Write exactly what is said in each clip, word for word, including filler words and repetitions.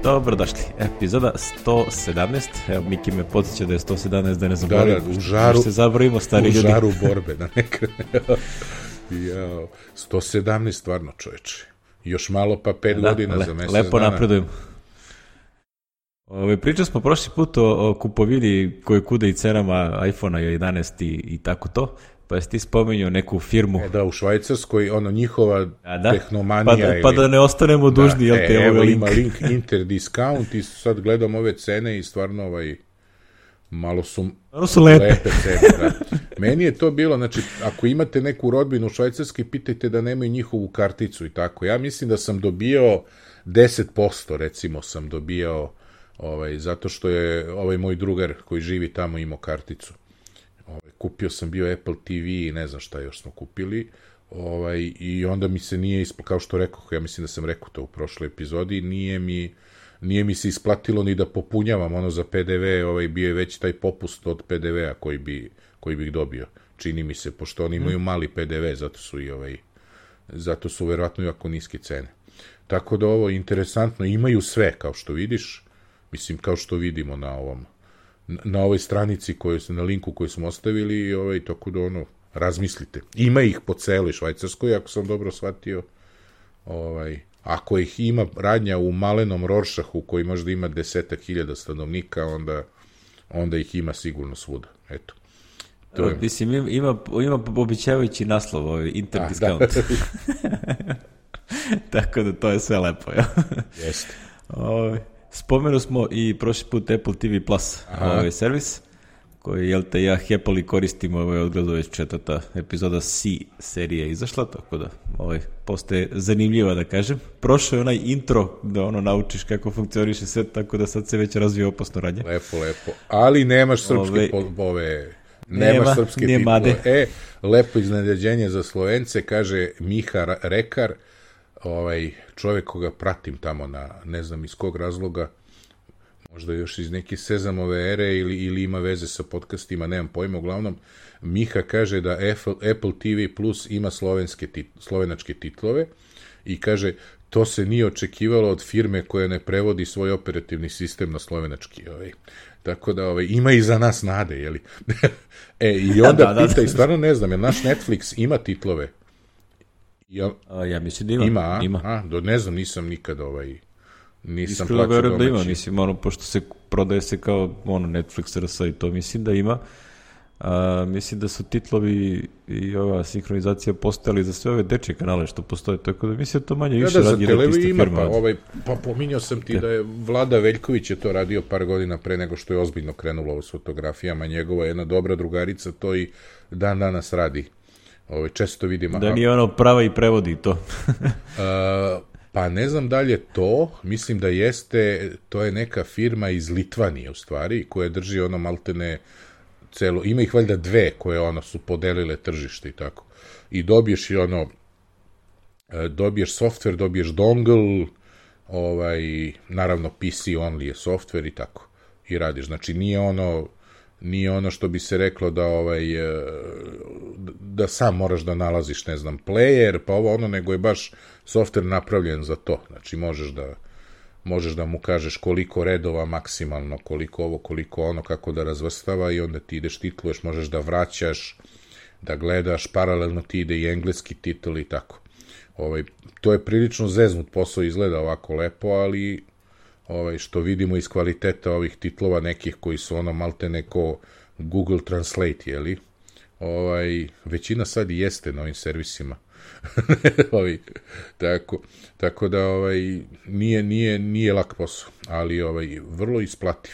Dobrodošli, epizoda sto sedamnaest, evo Miki me podsjeća da je sto sedamnaest, da ne zaboravim. Da, da, u žaru, se zaboravimo, stari u ljudi. žaru borbe, da ne krene. Jao, sto sedamnaest stvarno, čoveče. Još malo pa pet da, godina le, za mesec lepo dana. napredujemo. Ove, pričali smo prošli put o, o kupovini koje kude i cenama iPhone-a jedanaest i, i tako to, pa jesi ti spomenuo neku firmu. E da, u Švajcarskoj, ono, njihova A, da? tehnomanija. Pa da, ili... pa da ne ostanemo dužni, da, jel te, e, ovo evo link. ima link Interdiscount i sad gledam ove cene i stvarno ovaj, malo su, malo su lepe. lepe cene. Da. Meni je to bilo, znači, ako imate neku rodbinu u Švajcarskoj, pitajte da nemaju njihovu karticu i tako. Ja mislim da sam dobio deset posto, recimo, sam dobio ovaj, zato što je ovaj moj drugar koji živi tamo imao karticu. Ovaj, kupio sam bio Apple T V i ne znam šta još smo kupili. Ovaj, i onda mi se nije isplatilo, kao što rekao, ja mislim da sam rekao to u prošloj epizodi, nije mi, nije mi se isplatilo ni da popunjavam ono za P D V, ovaj, bio je već taj popust od P D V-a koji, bi, koji bih dobio. Čini mi se, pošto oni imaju mali P D V, zato su i ovaj, zato su verovatno jako niske cene. Tako da ovo interesantno, imaju sve, kao što vidiš, mislim, kao što vidimo na ovom, na ovoj stranici, koju, na linku koji smo ostavili, i ovaj, tako da ono, razmislite. Ima ih po celoj Švajcarskoj, ako sam dobro shvatio. Ovaj, ako ih ima radnja u malenom Roršahu, koji možda ima desetak hiljada stanovnika, onda, onda ih ima sigurno svuda. Eto. To je... Mislim, ima, ima običavajući naslov, ovaj, Interdiscount. Da, da. Tako da to je sve lepo, ja. Jeste. Ovaj, spomenu smo i prošli put Apple T V Plus, ovaj servis, koji, jel te, ja happily koristim, ovaj, odgledu već četvrta epizoda C serije izašla, tako da ovaj, postaje zanimljiva, da kažem. Prošao je onaj intro da ono naučiš kako funkcioniše sve, tako da sad se već razvije opasno radnje. Lepo, lepo. Ali nemaš srpske ove, ove nemaš nema, srpske titule. E, lepo iznenađenje za Slovence, kaže Miha Rekar, ovaj čovjek koga pratim tamo na, ne znam iz kog razloga, možda još iz neke Sezamove ere ili, ili ima veze sa podcastima, nemam pojma, uglavnom, Miha kaže da Apple, Apple T V Plus ima slovenske tit, slovenačke titlove i kaže, to se nije očekivalo od firme koja ne prevodi svoj operativni sistem na slovenački. Ovaj. Tako da ovaj, ima i za nas nade, jeli? e, i onda da, da, pita, da. I stvarno ne znam, jer naš Netflix ima titlove? Ja, a, ja mislim da ima. Ima, a? ima. A, do, ne znam, nisam nikad ovaj, nisam Iskreno plaćao domaći. Da ima, mislim, ono, pošto se prodaje se kao ono, Netflix R S i to, mislim da ima. A, mislim da su titlovi i ova sinhronizacija postojali za sve ove dečje kanale što postoje, tako da mislim da to manje više ja, da, radi jedna ista ima, firma. Pa, ovaj, pa pominjao sam ti da je Vlada Veljković je to radio par godina pre nego što je ozbiljno krenulo ovo s fotografijama, njegova jedna dobra drugarica to i dan danas radi. Ovaj, često vidimo. Da nije ono prava i prevodi to. uh, pa ne znam da li je to, mislim da jeste, to je neka firma iz Litvanije u stvari, koja drži ono maltene celo, ima ih valjda dve koje ono su podelile tržište i tako. I dobiješ i ono, dobiješ software, dobiješ dongle, ovaj, naravno P C only je software i tako. I radiš, znači nije ono nije ono što bi se reklo da ovaj da sam moraš da nalaziš, ne znam, player, pa ovo ono, nego je baš software napravljen za to. Znači možeš da možeš da mu kažeš koliko redova maksimalno, koliko ovo, koliko ono, kako da razvrstava i onda ti ideš, titluješ, možeš da vraćaš, da gledaš, paralelno ti ide i engleski titl i tako. Ovaj, to je prilično zeznut posao, izgleda ovako lepo, ali ovaj, što vidimo iz kvaliteta ovih titlova nekih koji su ono malte neko Google Translate, jeli? Ovaj, većina sad i jeste na ovim servisima. ovaj, tako, tako da ovaj, nije, nije, nije lak posao, ali ovaj, vrlo isplativ,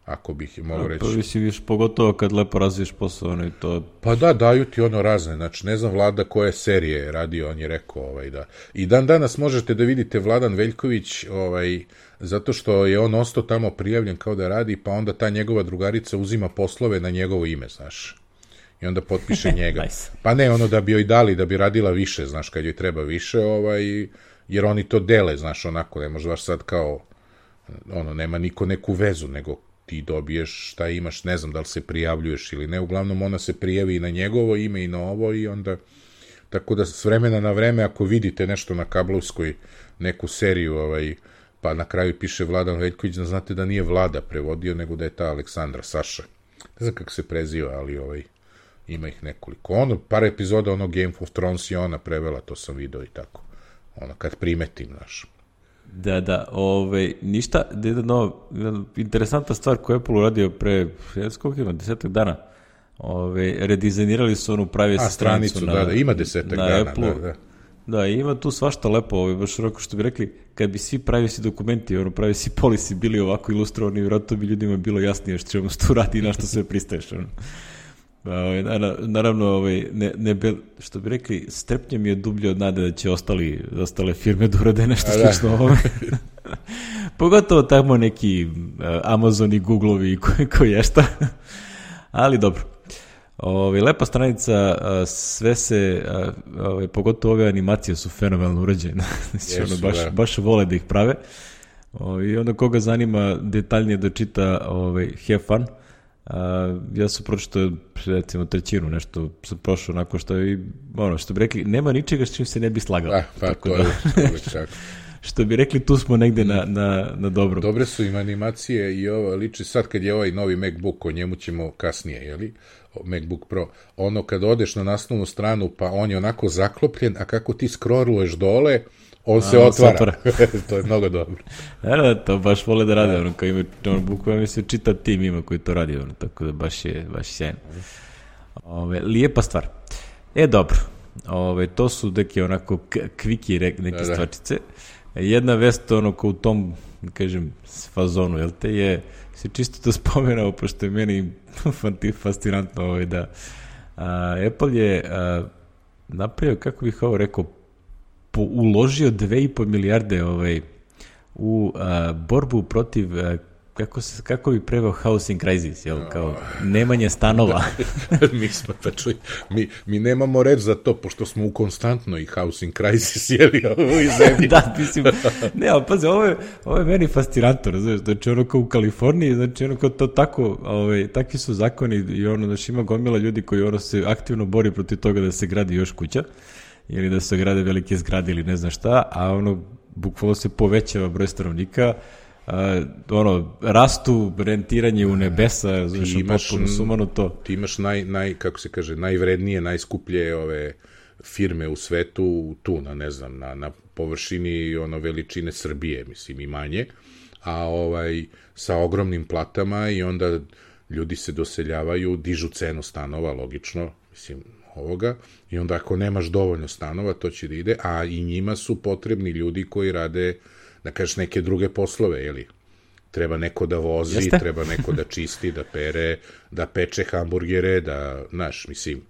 ako bih mogao reći. Pa si viš, pogotovo kad lepo razviješ posao, ono i to... Pa da, daju ti ono razne, znači ne znam Vlada koje serije je radio, on je rekao, ovaj, da. I dan danas možete da vidite Vladan Veljković, ovaj, zato što je on ostao tamo prijavljen kao da radi, pa onda ta njegova drugarica uzima poslove na njegovo ime, znaš. I onda potpiše njega. Nice. Pa ne, ono da bi joj dali, da bi radila više, znaš, kad joj treba više, ovaj, jer oni to dele, znaš, onako, ne može baš sad kao, ono, nema niko neku vezu, nego ti dobiješ šta imaš, ne znam da li se prijavljuješ ili ne, uglavnom ona se prijavi i na njegovo ime i na ovo i onda, tako da s vremena na vreme, ako vidite nešto na kablovskoj, neku seriju, ovaj, pa na kraju piše Vladan Veljković, da znate da nije Vlada prevodio, nego da je ta Aleksandra, Saša. Ne znam kako se preziva, ali ovaj, ima ih nekoliko. Ono, par epizoda, ono Game of Thrones je ona prevela, to sam video i tako. Ono, kad primetim, znaš. Da, da, ovaj, ništa, jedna interesantna stvar koju je Apple uradio pre, koliko ima, desetak dana, Ove, redizajnirali su onu pravi A, stranicu, na, da, da, ima desetak na dana, Apple-u. da, da. Da, ima tu svašta lepo, ovaj, baš onako što bi rekli, kad bi svi privacy dokumenti, ono, privacy policy bili ovako ilustrovani, vjerojatno bi ljudima bilo jasnije što ćemo tu radi i na što sve pristaješ. Ono. Ovaj, naravno, ovaj, ne, ne be, što bi rekli, strepnje mi je dublje od nade da će ostali, ostale firme da urade nešto slično ovome. Pogotovo tamo neki uh, Amazon i Google-ovi koji ko je šta. Ali dobro. Ove, lepa stranica, sve se, ove, pogotovo ove animacije su fenomenalno urađene. Znači, ono, baš, baš vole da ih prave. Ove, I onda koga zanima detaljnije da čita, ove, have fun. A, ja sam pročitao, recimo, trećinu, nešto sam prošao onako što je, ono, što bi rekli, nema ničega s čim se ne bi slagao. Ah, pa, tako to da, je čak. Što bi rekli, tu smo negde na, na, na dobrom. Dobre su im animacije i ovo liči sad kad je ovaj novi MacBook, o njemu ćemo kasnije, jeli? MacBook Pro, ono kad odeš na naslovnu stranu pa on je onako zaklopljen, a kako ti scrolluješ dole, on a, se otvara. otvara. To je mnogo dobro. Da, da, to baš vole da rade, ono, kao ima, ono, bukvalno se čita tim ima koji to radi, ono, tako da baš je, baš je sjajno. Ove, lijepa stvar. E, dobro, ove, to su neke onako kviki neke da, stvarčice. Jedna vest, ono, ko u tom, kažem, fazonu, jel te, je se čisto to spomenao, pošto je meni fascinantno ovaj, da a, Apple je a, napravio, kako bih ovo rekao, po, uložio dve i po milijarde ovaj, u a, borbu protiv, a, kako, se, kako bi preveo housing crisis, jel, kao nemanje stanova. mi, smo, pa čuj, mi, mi nemamo reč za to, pošto smo u konstantnoj housing crisis, jeli, u zemlji. Da, mislim, ne, ali pazi, ovo je, ovo je meni fascinantno, znaš, znači ono kao u Kaliforniji, znači ono kao to tako, ovaj, takvi su zakoni i ono, znači ima gomila ljudi koji ono se aktivno bori protiv toga da se gradi još kuća, ili da se grade velike zgrade ili ne znam šta, a ono, bukvalno se povećava broj stanovnika. Uh, ono, rastu, rentiranje u nebesa, znaš, potpuno sumanuto. Ti imaš naj, naj, kako se kaže, najvrednije, najskuplje ove firme u svetu tu, na, ne znam, na, na površini ono veličine Srbije, mislim, i manje, a ovaj, sa ogromnim platama i onda ljudi se doseljavaju, dižu cenu stanova, logično, mislim, ovoga, i onda ako nemaš dovoljno stanova, to će da ide, a i njima su potrebni ljudi koji rade, da kažeš, neke druge poslove, jeli? Treba neko da vozi, Jeste? treba neko da čisti, da pere, da peče hamburgere, da, znaš, mislim,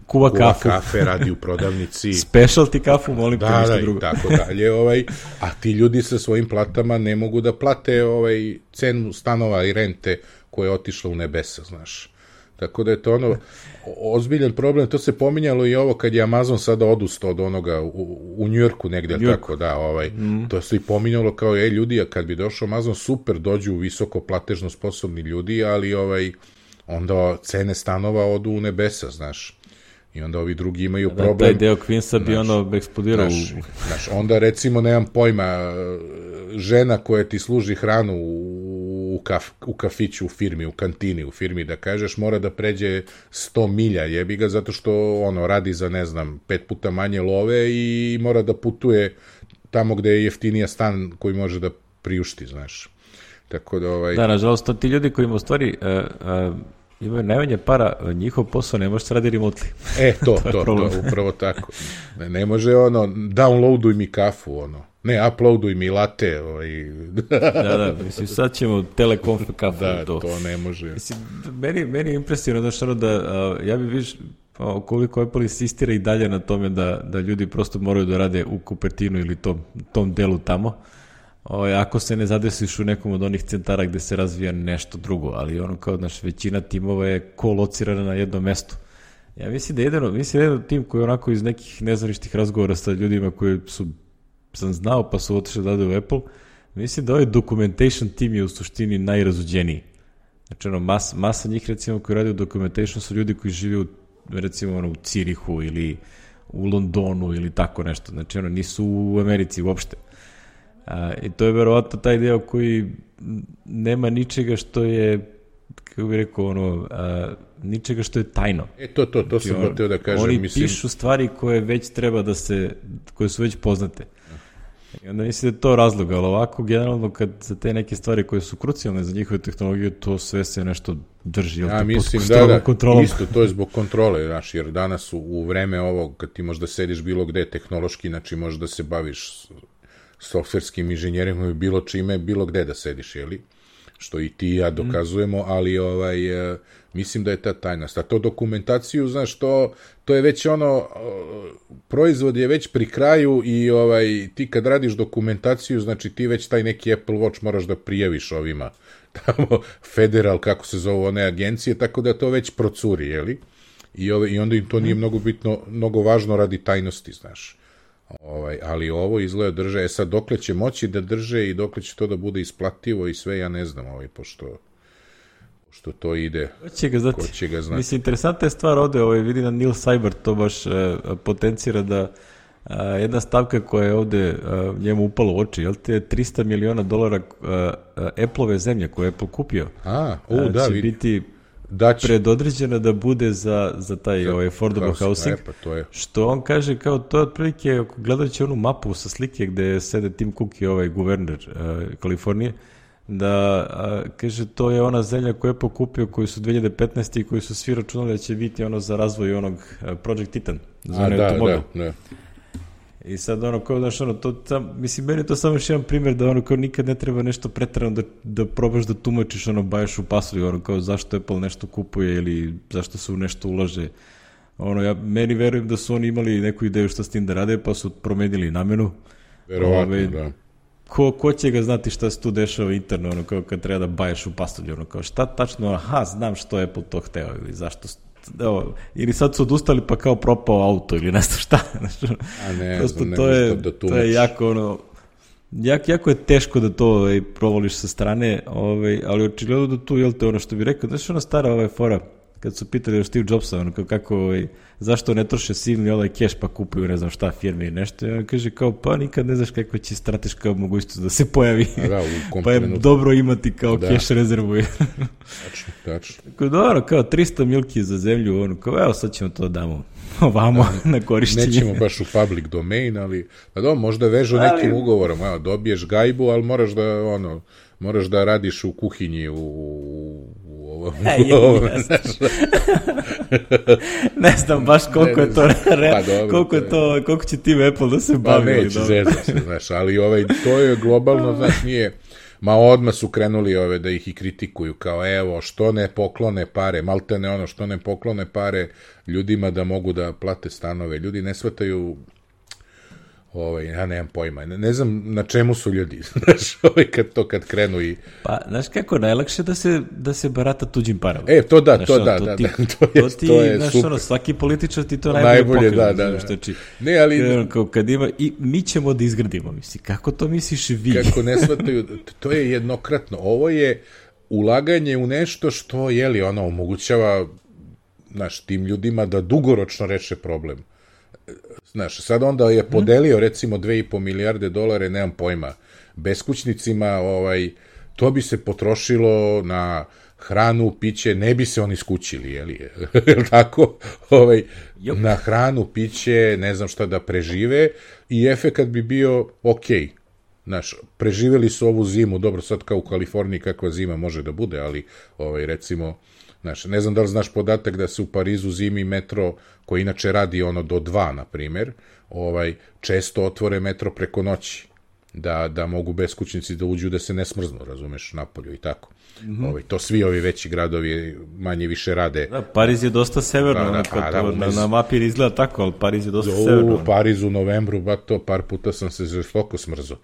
kuva, kuva kafu. kafe, radi u prodavnici. Specialty kafu, molim te, da, ništa da, drugo. Da, i tako dalje, ovaj, a ti ljudi sa svojim platama ne mogu da plate ovaj, cenu stanova i rente koja je otišla u nebesa, znaš. Tako da je to ono, ozbiljan problem, to se pominjalo i ovo kad je Amazon sada odustao od onoga u, u Njujorku negde, New tako da, ovaj, mm. to se i pominjalo kao, ej ljudi, a kad bi došao Amazon, super, dođu visoko platežno sposobni ljudi, ali ovaj, onda cene stanova odu u nebesa, znaš. I onda ovi drugi imaju da, problem. Taj deo Queensa bi ono eksplodirao. Znaš, znaš, onda recimo, nemam pojma, žena koja ti služi hranu u, kaf, u kafiću, u firmi, u kantini, u firmi, da kažeš, mora da pređe sto milja, jebi ga, zato što ono radi za, ne znam, pet puta manje love i mora da putuje tamo gde je jeftinija stan koji može da priušti, znaš. Tako da, ovaj... Da, nažalost, to ti ljudi koji ima u stvari... Uh, uh... imaju najmanje para, njihov posao ne može se radi remotely. E, to, to, to, to, upravo tako. Ne, ne može ono, downloaduj mi kafu, ono. Ne, uploaduj mi latte. Ovaj. da, da, mislim, sad ćemo telekonf kafu. Da, to, to ne može. Mislim, meni, meni je impresivno da što da, uh, ja bih viš, koliko Apple insistira i dalje na tome da, da ljudi prosto moraju da rade u Cupertinu ili tom, tom delu tamo. O, ako se ne zadesiš u nekom od onih centara gde se razvija nešto drugo, ali ono kao naš većina timova je kolocirana na jednom mestu. Ja mislim da je jedino, mislim da je jedan tim koji je onako iz nekih nezvaničnih razgovora sa ljudima koji su, sam znao pa su otišli da rade u Apple, mislim da ovaj documentation tim je u suštini najrazuđeniji. Znači ono, mas, masa njih recimo koji radi u documentation su ljudi koji žive u, recimo ono, u Cirihu ili u Londonu ili tako nešto. Znači ono, nisu u Americi uopšte. A, I to je verovatno taj deo koji nema ničega što je, kako bih rekao, ono, a, ničega što je tajno. E, to, to, to sam znači, htio da kažem. Oni mislim... pišu stvari koje već treba da se, koje su već poznate. I onda mislim da je to razlog, ali ovako, generalno, kad za te neke stvari koje su krucijalne za njihove tehnologije, to sve se nešto drži. Ja to mislim da, da, kontrolom. Isto, to je zbog kontrole, znaš, jer danas u, u vreme ovog, kad ti možda sediš bilo gde tehnološki, znači možeš da se baviš softverskim inženjerijom i bilo čime, bilo gde da sediš, jeli? Što i ti i ja dokazujemo, mm. ali ovaj, e, mislim da je ta tajnost. A to dokumentaciju, znaš, to, to je već ono, proizvod je već pri kraju i ovaj, ti kad radiš dokumentaciju, znači ti već taj neki Apple Watch moraš da prijaviš ovima, tamo, Federal, kako se zove one agencije, tako da to već procuri, jeli? I, ove, i onda im to nije mnogo bitno, mnogo važno radi tajnosti, znaš. Ovaj, ali ovo izgleda drže, e sad dokle će moći da drže i dokle će to da bude isplativo i sve, ja ne znam, ovaj, pošto, pošto to ide, ko će ga znati? Ko će ga znati. Mislim, interesantna je stvar ovde, ovaj, vidi na Neil Seibert to baš eh, potencira da a, jedna stavka koja je ovde a, njemu upala u oči, jel te trista miliona dolara Apple-ove zemlje koje je Apple kupio, a, u, a, da, će vidi. biti Dać... predodređena da bude za, za taj ovaj, affordable housing, pa to je. Što on kaže kao to je otprilike, gledajući onu mapu sa slike gde sede Tim Cook i ovaj guverner uh, Kalifornije, da uh, kaže to je ona zemlja koju je pokupio, koju su dve hiljade petnaeste i koju su svi računali da će biti ono za razvoj onog uh, Project Titan, za onaj automobil. Da, da. I sad ono kao, znaš, ono, to, sam, mislim, meni je to samo još jedan primjer da ono kao nikad ne treba nešto pretrano da, da probaš da tumačiš, ono, bajaš u pasulju, ono kao zašto Apple nešto kupuje ili zašto se u nešto ulaže. Ono, ja meni verujem da su oni imali neku ideju šta s tim da rade, pa su promenili namenu. Verovatno, Ove, da. Ko, ko će ga znati šta se tu dešava interno, ono, kao kad treba da bajaš u pasulju, ono, kao šta tačno, aha, znam što je Apple to hteo ili zašto evo, ili sad su odustali pa kao propao auto ili nešto šta. A ne, prosto ne, to je, da to je jako ono, jak, jako je teško da to ovaj, provoliš sa strane, ovaj, ali očigledno da tu, jel te, ono što bi rekao, znaš ona stara ovaj fora, kad su pitali o Steve Jobsa, ono, kako, ovaj, zašto ne troše silni ovaj keš pa kupuju ne znam šta firme i nešto, i on kaže kao, pa nikad ne znaš kakva će strateška mogućnost da se pojavi, da, pa je dobro imati kao da. Keš rezervu. Tačno, tačno. Tako dobro, kao trista milki za zemlju, ono, kao evo sad ćemo to damo ovamo da, na korišćenje. Nećemo baš u public domain, ali da do, možda vežu ali... nekim ugovorom, evo, dobiješ gajbu, ali moraš da, ono, moraš da radiš u kuhinji u, u ovom... E, je, ovom ne znam baš koliko ne, je to, re, pa dobro, koliko, je to, koliko će tim Apple da se bavi. Pa neće, zezno se, znaš, ali ovaj, to je globalno, znaš, nije... Ma odmah su krenuli ove da ih i kritikuju, kao evo, što ne poklone pare, malte ne ono, što ne poklone pare ljudima da mogu da plate stanove. Ljudi ne shvataju, ovaj, ja nemam pojma, ne, ne znam na čemu su ljudi, znaš, ovaj, kad to kad krenu i... Pa, znaš kako, najlakše da se, da se barata tuđim parama. E, to da, znaš, to, ono, da, to da, ti, da, to je, to ti, to je znaš, super. Ono, svaki političar ti to najbolje, najbolje pokrije. Da, da, da. Znači, ne, ali... Ono, kao, kad ima, i mi ćemo da izgradimo, misli, kako to misliš vi? Kako ne shvataju, to je jednokratno, ovo je ulaganje u nešto što, jeli, ono, omogućava, znaš, tim ljudima da dugoročno reše problem. Znaš, sad onda je podelio recimo dve i po milijarde dolara, nemam pojma, beskućnicima, ovaj, to bi se potrošilo na hranu, piće, ne bi se oni skućili, jeli, je tako? Ovaj, na hranu, piće, ne znam šta da prežive i efekat bi bio okej. Znaš, preživeli su ovu zimu, dobro, sad kao u Kaliforniji kakva zima može da bude, ali ovaj, recimo, znaš, ne znam da li znaš podatak da se u Parizu zimi metro, koji inače radi ono do dva, na primjer, ovaj, često otvore metro preko noći, da, da mogu beskućnici da uđu da se ne smrznu, razumeš, napolju i tako. Mm-hmm. Ovaj, to svi ovi veći gradovi manje više rade. Da, Pariz je dosta severno, da, da, pa, da, to, na, na mapi izgleda tako, ali Pariz je dosta u, severno. U Parizu u novembru, ba to, par puta sam se žestoko smrzo.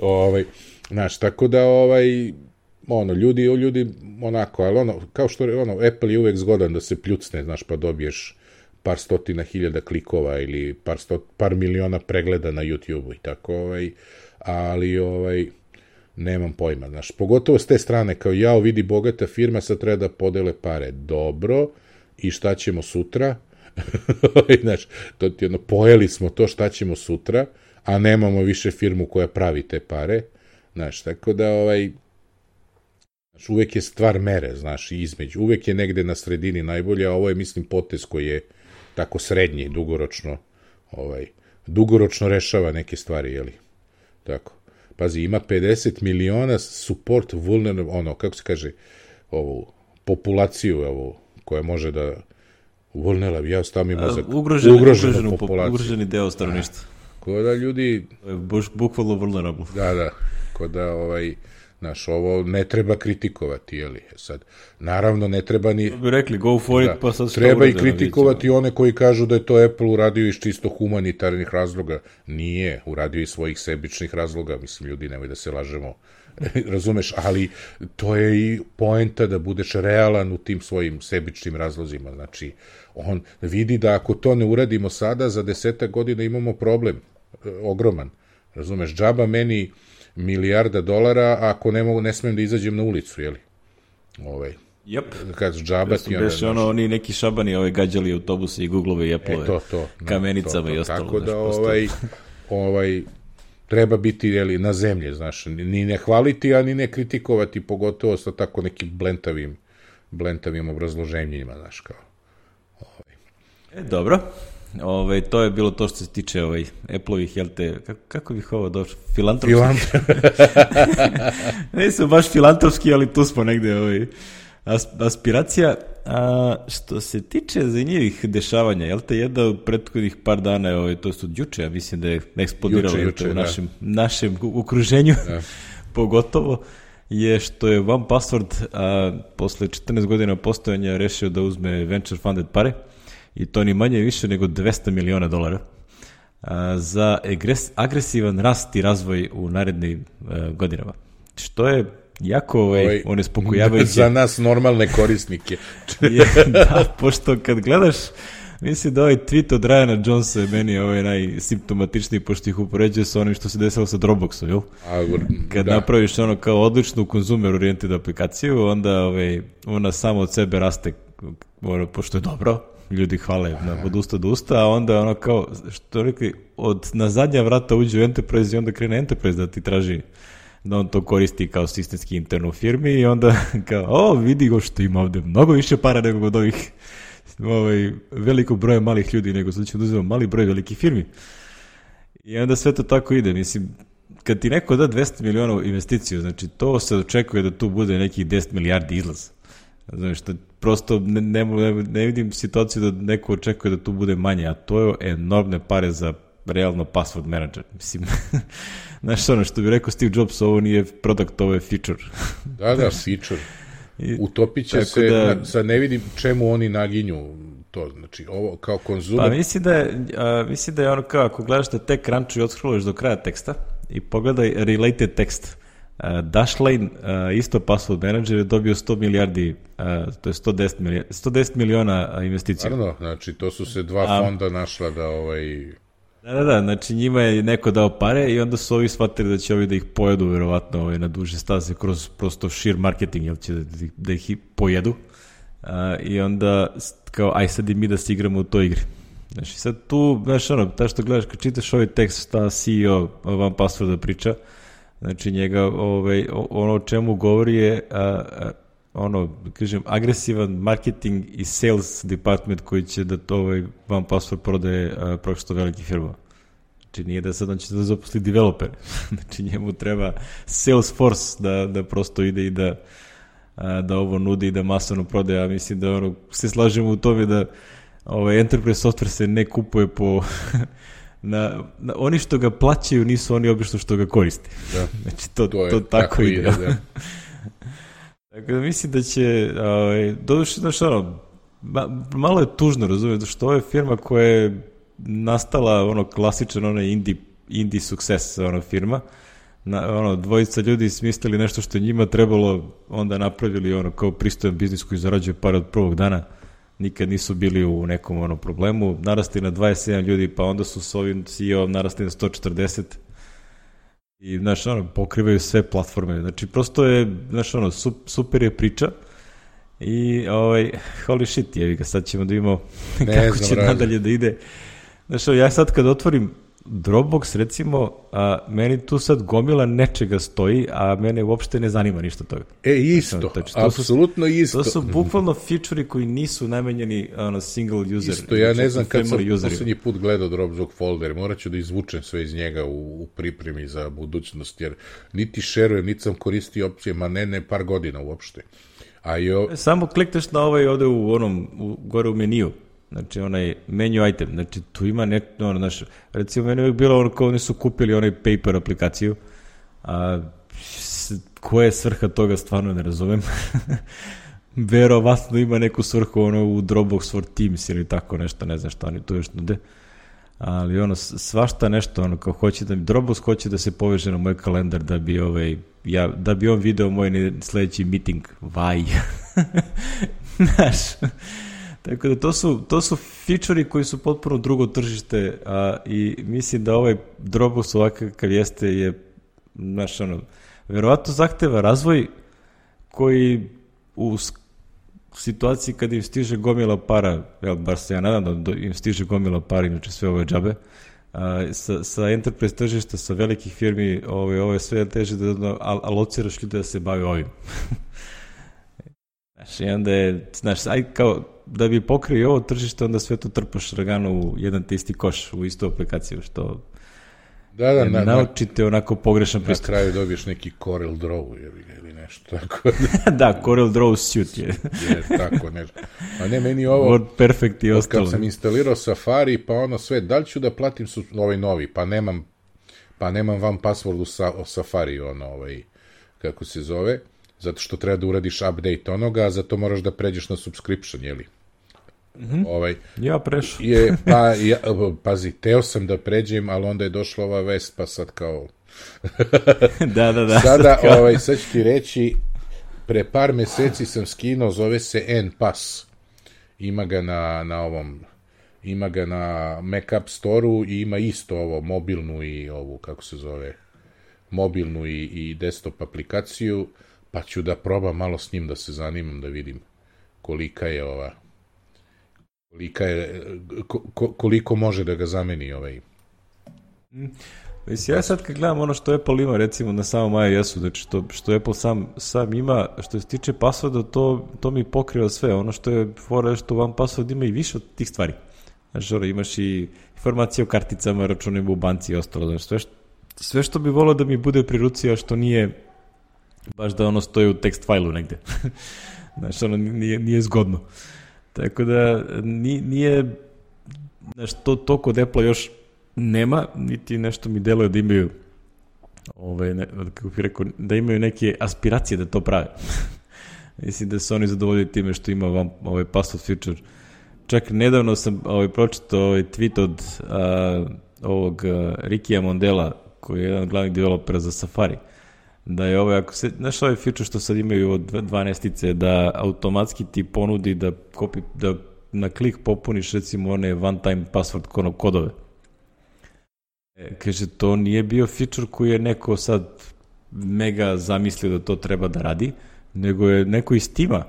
ovaj, znaš, tako da, ovaj, ono, ljudi, ljudi, onako, ali ono, kao što, ono, Apple je uvek zgodan da se pljucne, znaš, pa dobiješ par stotina hiljada klikova ili par, sto, par miliona pregleda na YouTube-u i tako, ovaj, ali, ovaj, nemam pojma, znaš, pogotovo s te strane, kao jao, vidi bogata firma, sad treba da podele pare, dobro, i šta ćemo sutra, znaš, to ti jedno, pojeli smo to, šta ćemo sutra, a nemamo više firmu koja pravi te pare, znaš, tako da ovaj, znaš, uvek je stvar mere, znaš, između, uvek je negde na sredini najbolje, a ovo je, mislim, potez koji je tako srednji, dugoročno, ovaj, dugoročno rešava neke stvari, jeli, tako. Pazi, ima pedeset miliona support vulnerable, ono, kako se kaže, ovu populaciju, ovu, koja može da vulnerable, ja stavim mozak, ugroženi, ugroženu populaciju. Ugroženi deo stanovništva. Ko da ljudi... Bukvalno vulnerable. Da, da, ko da, ovaj, znaš, ovo ne treba kritikovati, jeli, sad, naravno ne treba ni... bi rekli, go for da, it, pa sad treba i kritikovati one koji kažu da je to Apple uradio iz čisto humanitarnih razloga. Nije, uradio iz svojih sebičnih razloga, mislim, ljudi, nemoj da se lažemo, razumeš, ali to je i poenta da budeš realan u tim svojim sebičnim razlozima, znači, on vidi da ako to ne uradimo sada, za desetak godina imamo problem, ogroman, razumeš, džaba meni milijarda dolara ako ne mogu, ne smijem da izađem na ulicu, jeli? Ovaj. Yep. Kad džaba ti onda... Beše ono, oni neki šabani ovaj, gađali autobuse i Googlove i Apple-ove, e, to, to, kamenicama to, to, i ostalo. Tako da, znaš, ovaj, ovaj, treba biti, jeli, na zemlje, znaš, ni ne hvaliti, a ni ne kritikovati, pogotovo sa tako nekim blentavim, blentavim obrazloženjima, znaš, kao. Ovaj. E, dobro. Ove, to je bilo to što se tiče ovaj, Apple-ovih, jel te, kako, kako bih ovo došao, filantropski? Nisu baš filantropski, ali tu smo negde, ovaj, as, aspiracija. A, što se tiče zanimljivih dešavanja, jel te, jedna od prethodnih par dana, ovaj, to su juče, ja mislim da je eksplodiralo juče, juče, u našem, našem okruženju, pogotovo, je što je One Password a, posle četrnaest godina postojanja rešio da uzme venture funded pare, i to ni manje više nego dvesta miliona dolara a, za agres, agresivan rast i razvoj u narednim a, godinama. Što je jako ovaj, onespokojavajuće. Za nas normalne korisnike. je, da, pošto kad gledaš, mislim da ovaj tweet od Ryana Jonesa je meni ovaj najsimptomatičniji, pošto ih upoređuje sa onim što se desilo sa Dropboxom, jel? A, kad da. napraviš ono kao odličnu consumer oriented aplikaciju, onda ovaj, ona samo od sebe raste, ono, pošto je dobro, ljudi hvale na, od usta do usta, a onda ono kao, što rekli, od, na zadnja vrata uđe u Enterprise i onda krene Enterprise da ti traži da on to koristi kao sistemski intern u firmi i onda kao, o, vidi go što ima ovde mnogo više para nego od ovih ovaj, velikog broja malih ljudi, nego sad ćemo da uzmemo mali broj velikih firmi. I onda sve to tako ide, mislim, kad ti neko da dvesta miliona investiciju, znači to se očekuje da tu bude nekih deset milijardi izlaz. Znači, što prosto ne, ne, ne vidim situaciju da neko očekuje da tu bude manje, a to je enormne pare za realno password manager. Mislim, znaš ono što bi rekao Steve Jobs, ovo nije product, ovo je feature. Da, da, feature. Utopit će se, da, sad ne vidim čemu oni naginju to, znači ovo kao konzumer. Pa mislim da je, a, mislim da je ono kao, ako gledaš da tek ranču i odskroluješ do kraja teksta i pogledaj related text, Uh, Dashlane, uh, isto password manager, je dobio sto milijardi, uh, to je sto deset, milija, sto deset miliona uh, investicija. Naravno, znači to su se dva A, fonda našla da ovaj... Da, da, da, znači njima je neko dao pare i onda su ovi shvatili da će ovi da ih pojedu verovatno ovaj, na duže staze kroz prosto sheer marketing, jel će da, da ih pojedu. Uh, I onda kao, aj sad i mi da se igramo u toj igri. Znači sad tu, znaš ono, ta što gledaš, kad čitaš ovaj tekst, šta C E O One Passworda priča, znači njega, ovaj, ono o čemu govori je a, a, ono, kažem, agresivan marketing i sales department koji će da to ovaj One Password prodaje prosto veliki firma. Znači nije da sad on će da zaposli developer. Znači njemu treba Salesforce da, da prosto ide i da, a, da ovo nudi i da masovno prodaje. Ja mislim da ono, se slažemo u tome da ovaj enterprise software se ne kupuje po... Na, na, oni što ga plaćaju nisu oni obično što ga koriste. Da. Znači to, to, to tako, tako ide. ide da. Tako da mislim da će ovaj, doduše, znaš ono, ma, malo je tužno, razumijem, što ovo je firma koja je nastala ono klasičan onaj indie, indie success ono firma. Na, ono, dvojica ljudi smislili nešto što njima trebalo, onda napravili ono kao pristojan biznis koji zarađuje par od prvog dana. Nikad nisu bili u nekom ono problemu, narasti na dvadeset sedam ljudi, pa onda su s ovim C E O-om narasti na sto četrdeset i, znaš, ono, pokrivaju sve platforme, znači, prosto je, znaš, ono, super je priča i, ovaj, holy shit, jevi ga, sad ćemo da imamo kako će nadalje da ide. Znaš, ja sad kad otvorim Dropbox, recimo, a, meni tu sad gomila nečega stoji, a mene uopšte ne zanima ništa toga. E, isto, znači, apsolutno isto. To su bukvalno feature-i koji nisu namenjeni ono, single user. Isto, ja ne znam kad sam posljednji put gledao Dropbox folder, morat ću da izvučem sve iz njega u, u pripremi za budućnost, jer niti šerujem, niti sam koristio opcije, ma ne, ne, par godina uopšte. A jo... Samo klikneš na ovaj ovde u onom, u, gore u meniju. Znači, onaj menu item, znači, tu ima ne, ono, znaš, recimo, meni uvijek bilo ono kao oni su kupili onaj paper aplikaciju, a s, koja je svrha toga, stvarno ne razumem. Verovatno ima neku svrhu, ono, u Dropbox for Teams ili tako nešto, ne znam šta oni tu još nude, ali ono, svašta nešto, ono, kao hoće da mi, Dropbox hoće da se poveže na moj kalendar da bi, ovaj, ja, da bi on video moj sledeći meeting, vaj, znaš, tako da to su, to su feature-i koji su potpuno drugo tržište, a, i mislim da ovaj Dropbox ovakav kakav jeste je, znaš, ono, verovatno zahteva razvoj koji u situaciji kad im stiže gomila para, jel, bar se ja nadam da im stiže gomila para, inače sve ove džabe, a, sa, sa enterprise tržišta, sa velikih firmi, ove, ove sve teže da alociraš ljude da se bave ovim. Znaš, i onda je, znaš, aj kao, da bi pokrio ovo tržište, onda sve to trpaš ragano u jedan te isti koš, u istu aplikaciju, što da, da, na, naučite onako pogrešan pristup. Na kraju dobiješ neki Corel Draw ili, ili nešto tako. Da, Corel Draw suit je. Je, tako nešto. A ne, meni ovo, Word Perfect i ostalo. Kad sam instalirao Safari, pa ono sve, da li ću da platim su, ovaj novi, pa nemam, pa nemam vam password u sa, o Safari, ono, ovaj, kako se zove, zato što treba da uradiš update onoga, a zato moraš da pređeš na subscription, jeli? Mm-hmm. Ovaj, ja prešao. Je, pa, ja, pazi, teo sam da pređem, ali onda je došla ova vest, pa sad kao... da, da, da. Sada, sad, ovaj, sad ću ti reći, pre par meseci sam skinuo, zove se N-Pass. Ima ga na, na ovom, ima ga na Mac App Store-u i ima isto ovo, mobilnu i ovu, kako se zove, mobilnu i, i desktop aplikaciju, pa ću da probam malo s njim, da se zanimam, da vidim kolika je ova, kolika je, ko, koliko može da ga zameni ovaj. Mislim, ja sad kad gledam ono što Apple ima, recimo na samom iOS-u, znači što, što Apple sam, sam ima, što se tiče passworda, to, to mi pokriva sve. Ono što je fora, što vam password ima i više od tih stvari. Znači, ono, imaš i informacije o karticama, računima u banci i ostalo. Znači, sve, što, sve što bi volio da mi bude pri ruci, a što nije baš da ono stoji u tekst fajlu negde. Znači, ono, nije, nije zgodno. Tako da, nije, znači, to, to kod Apple još nema, niti nešto mi deluje da imaju ove, ne, kako bih rekao, da imaju neke aspiracije da to prave. Mislim da su oni zadovoljili time što ima vam ovaj password feature. Čak nedavno sam ovaj, pročitao ovaj tweet od a, ovog a, Rikija Mondela, koji je jedan od glavnih developera za Safari, da je ovaj, ako se, znaš ovaj feature što sad imaju od dvanaestice, da automatski ti ponudi da, kopi, da na klik popuniš recimo one one time password kodove. E, kaže, to nije bio feature koji je neko sad mega zamislio da to treba da radi, nego je neko iz tima.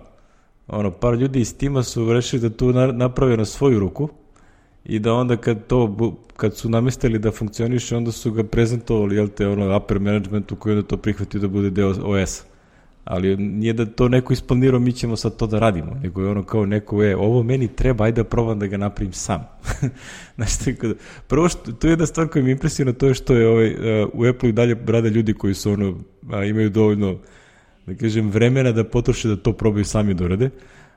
Ono, par ljudi iz tima su rešili da to naprave na svoju ruku i da onda kad to, kad su namestili da funkcioniše, onda su ga prezentovali, jel te, ono, upper managementu koji onda to prihvatio da bude deo O S-a. Ali nije da to neko isplanirao, mi ćemo sad to da radimo, nego je ono kao neko, e, ovo meni treba, ajde da probam da ga napravim sam. Znači, tako da, prvo što, to je jedna stvar koja mi impresivna, to je što je ovaj, uh, u Apple i dalje rade ljudi koji su ono, a, imaju dovoljno, da kažem, vremena da potroše da to probaju sami da urade,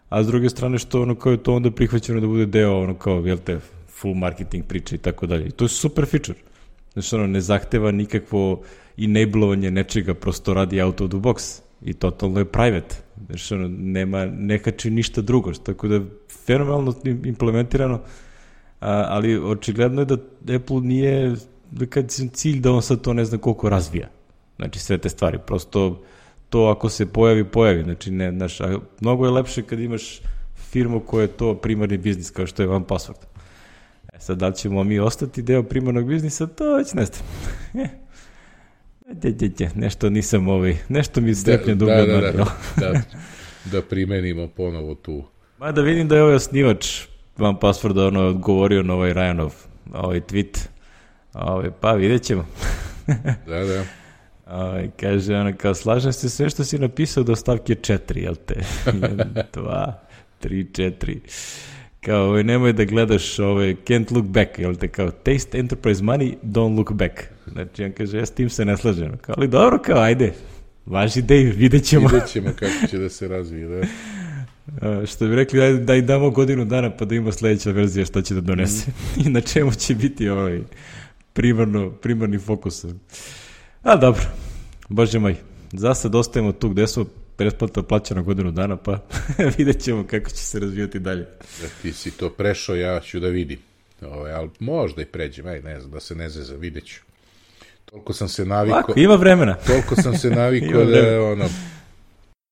a s druge strane što ono kao je to onda prihvaćeno da bude deo ono kao, jel te, full marketing priče i tako dalje. I to je super feature. Znači, ono, ne zahteva nikakvo enablovanje nečega, prosto radi out of the box. I totalno je private. Znači, ono, nema, ne kači ništa drugo. Tako da je fenomenalno implementirano, a, ali očigledno je da Apple nije, da kad je cilj da on sad to ne zna koliko razvija. Znači, sve te stvari. Prosto to ako se pojavi, pojavi. Znači, ne, znaš, a mnogo je lepše kad imaš firmu koja je to primarni biznis, kao što je one password. E sad, da li ćemo mi ostati deo primarnog biznisa, to već ne znam. De, de, de, nešto nisam ovaj, nešto mi strepnja dugo. Da, da, da, da, da, da primenimo ponovo tu. Ma da vidim da je ovaj osnivač one passworda ono odgovorio na ovaj Ryanov ovaj tweet, Ove, pa vidjet ćemo. Da, da. Ove, kaže, ona, kao, slažem se sve što si napisao do stavke četiri, jel te? jedan, dva, tri, četiri. Kao, ove, nemoj da gledaš ove, can't look back, jel te? Kao, taste enterprise money, don't look back. Znači, on kaže, ja s tim se ne slažem. Kao, ali dobro, kao, ajde, važi Dave, vidjet ćemo. Vidjet ćemo kako će da se razvije, da. Uh, što bi rekli, daj, daj damo godinu dana pa da ima sledeća verzija šta će da donese. Mm. I na čemu će biti ovaj primarno, primarni fokus. A dobro, bože moj, za sad ostajemo tu gde smo, pretplata plaćena godinu dana, pa vidjet ćemo kako će se razvijati dalje. Da ti si to prešao, ja ću da vidim. Ove, ali možda i pređem, aj ne znam, da se ne zeza, vidjet ću. Toliko sam se navikao... Lako, ima vremena. Toliko sam se navikao da je ono...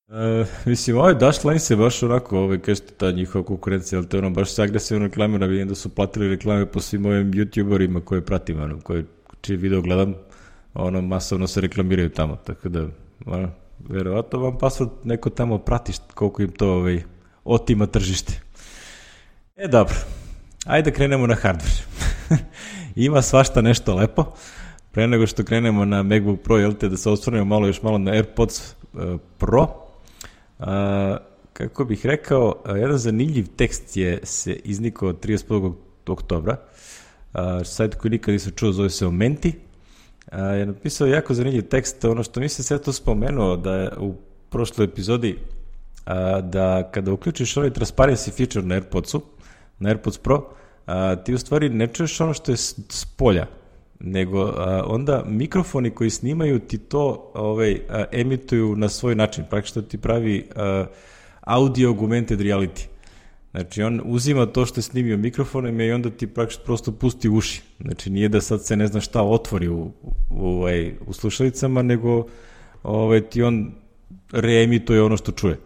Uh, mislim, ovaj Dash Line se baš onako, ovaj, kažete, ta njihova konkurencija, ali to ono, baš se agresivno reklamira, vidim da su platili reklame po svim ovim youtuberima koje pratim, ono, koje, čiji video gledam, ono, masovno se reklamiraju tamo, tako da, ono, verovatno vam password neko tamo prati koliko im to, ovaj, otima tržište. E, dobro, ajde krenemo na hardware. Ima svašta nešto lepo, pre nego što krenemo na MacBook Pro, jel te, da se osvrnemo malo još malo na AirPods uh, Pro. Uh, kako bih rekao, uh, jedan zanimljiv tekst je se iznikao trideset prvog oktobra. Uh, sajt koji nikad nisam čuo, zove se Omenti. Uh, je napisao jako zanimljiv tekst, ono što nisam sve to spomenuo da je u prošloj epizodi, uh, da kada uključiš ovaj transparency feature na AirPodsu, na AirPods Pro, uh, ti u stvari ne čuješ ono što je s polja, nego a, onda mikrofoni koji snimaju ti to ovaj, a, emituju na svoj način, praktično ti pravi a, audio augmented reality. Znači on uzima to što je snimio mikrofonom i onda ti praktično prosto pusti uši. Znači nije da sad se ne zna šta otvori u, u, u, u slušalicama, nego ovaj, ti on reemituje ono što čuje.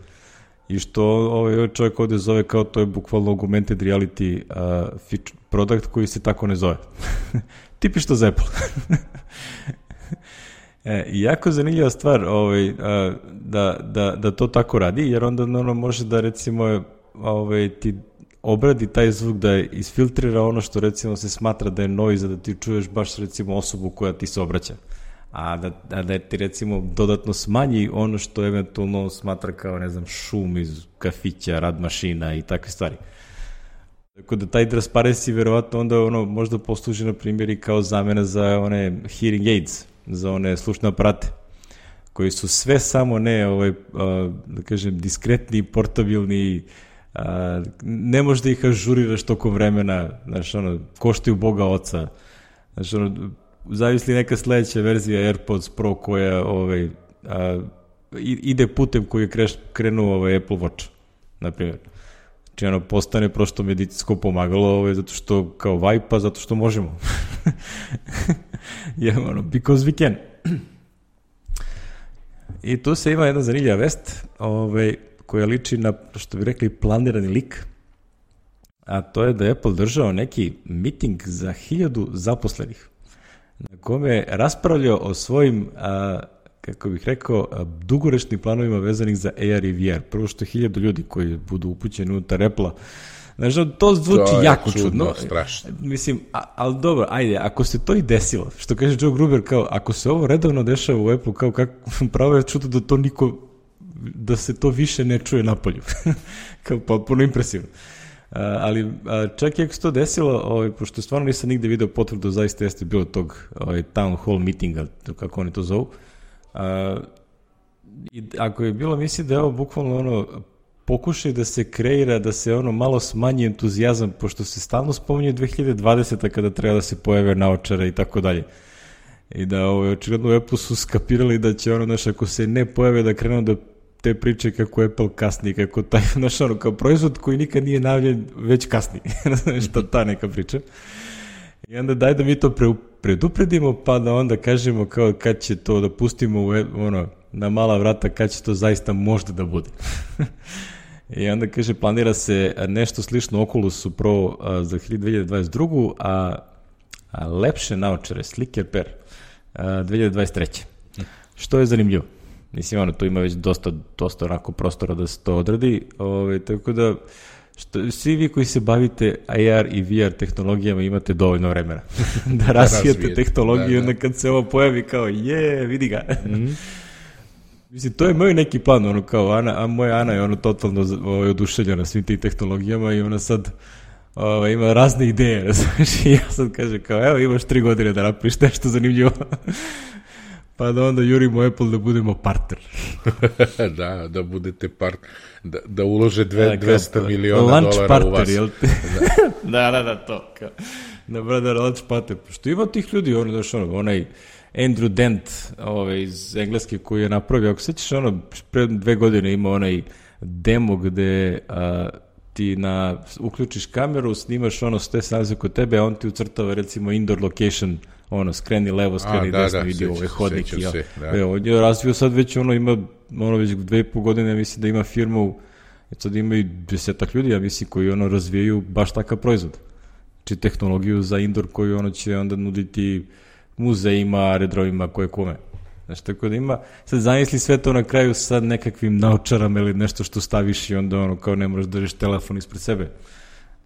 I što ovaj čovjek ovdje zove kao to je bukvalno augmented reality uh, feature, product koji se tako ne zove. Tipično za Apple. e, jako zanimljiva stvar ovaj, a, da, da, da to tako radi, jer onda ono može da recimo ovaj, ti obradi taj zvuk, da isfiltrira ono što recimo se smatra da je noise, da ti čuješ baš recimo osobu koja ti se obraća. A da, a da ti recimo dodatno smanji ono što eventualno smatra kao, ne znam, šum iz kafića, rad mašina i takve stvari. Tako da taj transparency verovatno onda ono možda posluži na primjer i kao zamena za one hearing aids, za one slušne aparate, koji su sve samo ne, ovaj, a, da kažem, diskretni, portabilni, a, ne možeš da ih ažuriraš tokom vremena, znaš, ono, koštaju Boga oca, znaš, ono, zavisli neka sledeća verzija AirPods Pro koja ovaj, a, ide putem koji je kreš, krenuo ovaj Apple Watch, na primjer. Znači ono postane prosto medicinsko pomagalo ovaj, zato što kao vajpa, zato što možemo. Je, ono, because we can. I tu se ima jedna zanimljiva vest ovaj, koja liči na, što bi rekli, planirani lik. A to je da je Apple držao neki miting za hiljadu zaposlenih, na kome je raspravljao o svojim, a, kako bih rekao, a, dugoročnim planovima vezanih za A R i V R. Prvo što je hiljadu ljudi koji budu upućeni unutar Apple-a. Znači, to zvuči to jako čudno. čudno. Strašno. Mislim, a, ali dobro, ajde, ako se to i desilo, što kaže Joe Gruber, kao, ako se ovo redovno dešava u Apple, kao, kako, pravo je čudo da to niko, da se to više ne čuje napolju. Kao, potpuno impresivno. Uh, ali uh, čak i ako se to desilo, ovaj, pošto stvarno nisam nigde video potvrdu, zaista jeste bilo tog ovaj, town hall meetinga, kako oni to zovu. Uh, i ako je bilo, mislim da je ovo bukvalno ono, pokušaj da se kreira, da se ono malo smanji entuzijazam, pošto se stalno spominje dve hiljade dvadeseta kada treba da se pojave naočare i tako dalje. I da ovaj, očigledno u Apple su skapirali da će ono, znaš, ako se ne pojave da krenu da te priče kako Apple kasni, kako taj, znaš, ono, kao proizvod koji nikad nije najavljen, već kasni. Šta ta neka priča. I onda daj da mi to pre, predupredimo, pa da onda kažemo kao kad će to da pustimo u, ono, na mala vrata, kad će to zaista možda da bude. I onda kaže, planira se nešto slično Oculusu Pro a, za dve hiljade dvadeset drugu a, a lepše naočare, slicker pair, a, dve hiljade dvadeset treće Što je zanimljivo. Mislim, ono, tu ima već dosta, dosta onako prostora da se to odradi, ove, tako da što svi vi koji se bavite A R i V R tehnologijama imate dovoljno vremena da razvijete tehnologiju, da, da. Onda kad se ovo pojavi kao je, vidi ga. Mm. Mislim, to je moj neki plan, ono kao Ana, a moja Ana je ono totalno ovaj, oduševljena svim tim tehnologijama i ona sad ovaj, ima razne ideje, znaš, i ja sad kažem kao, evo imaš tri godine da napiš nešto zanimljivo. Pa da onda jurimo Apple da budemo partner. da, da budete partner, da, da ulože dve, dvesta miliona dolara partner, u vas. Jel te? da, da, da, to. Kao, da, brada, lunch partner. Što ima tih ljudi, ono, daš, ono, onaj Andrew Dent ovaj, iz Engleske koji je napravio, ako sećaš, ono, pre dve godine ima onaj demo gde a, ti na, uključiš kameru, snimaš ono sve snalazi kod tebe, a on ti ucrtava recimo indoor location, ono, skreni levo, skreni a, desno, da, vidi ovaj hodnik. Ja. Se, da. E, on je razvio sad već ono, ima, ono već dve i po godine, mislim da ima firmu, sad ima i desetak ljudi, ja mislim, koji ono razvijaju baš takav proizvod. Znači tehnologiju za indoor koju ono će onda nuditi muzejima, aerodromima, koje kome. Znači, tako da ima, sad zamisli sve to na kraju sa nekakvim naučarama ili nešto što staviš i onda ono kao ne moraš da držiš telefon ispred sebe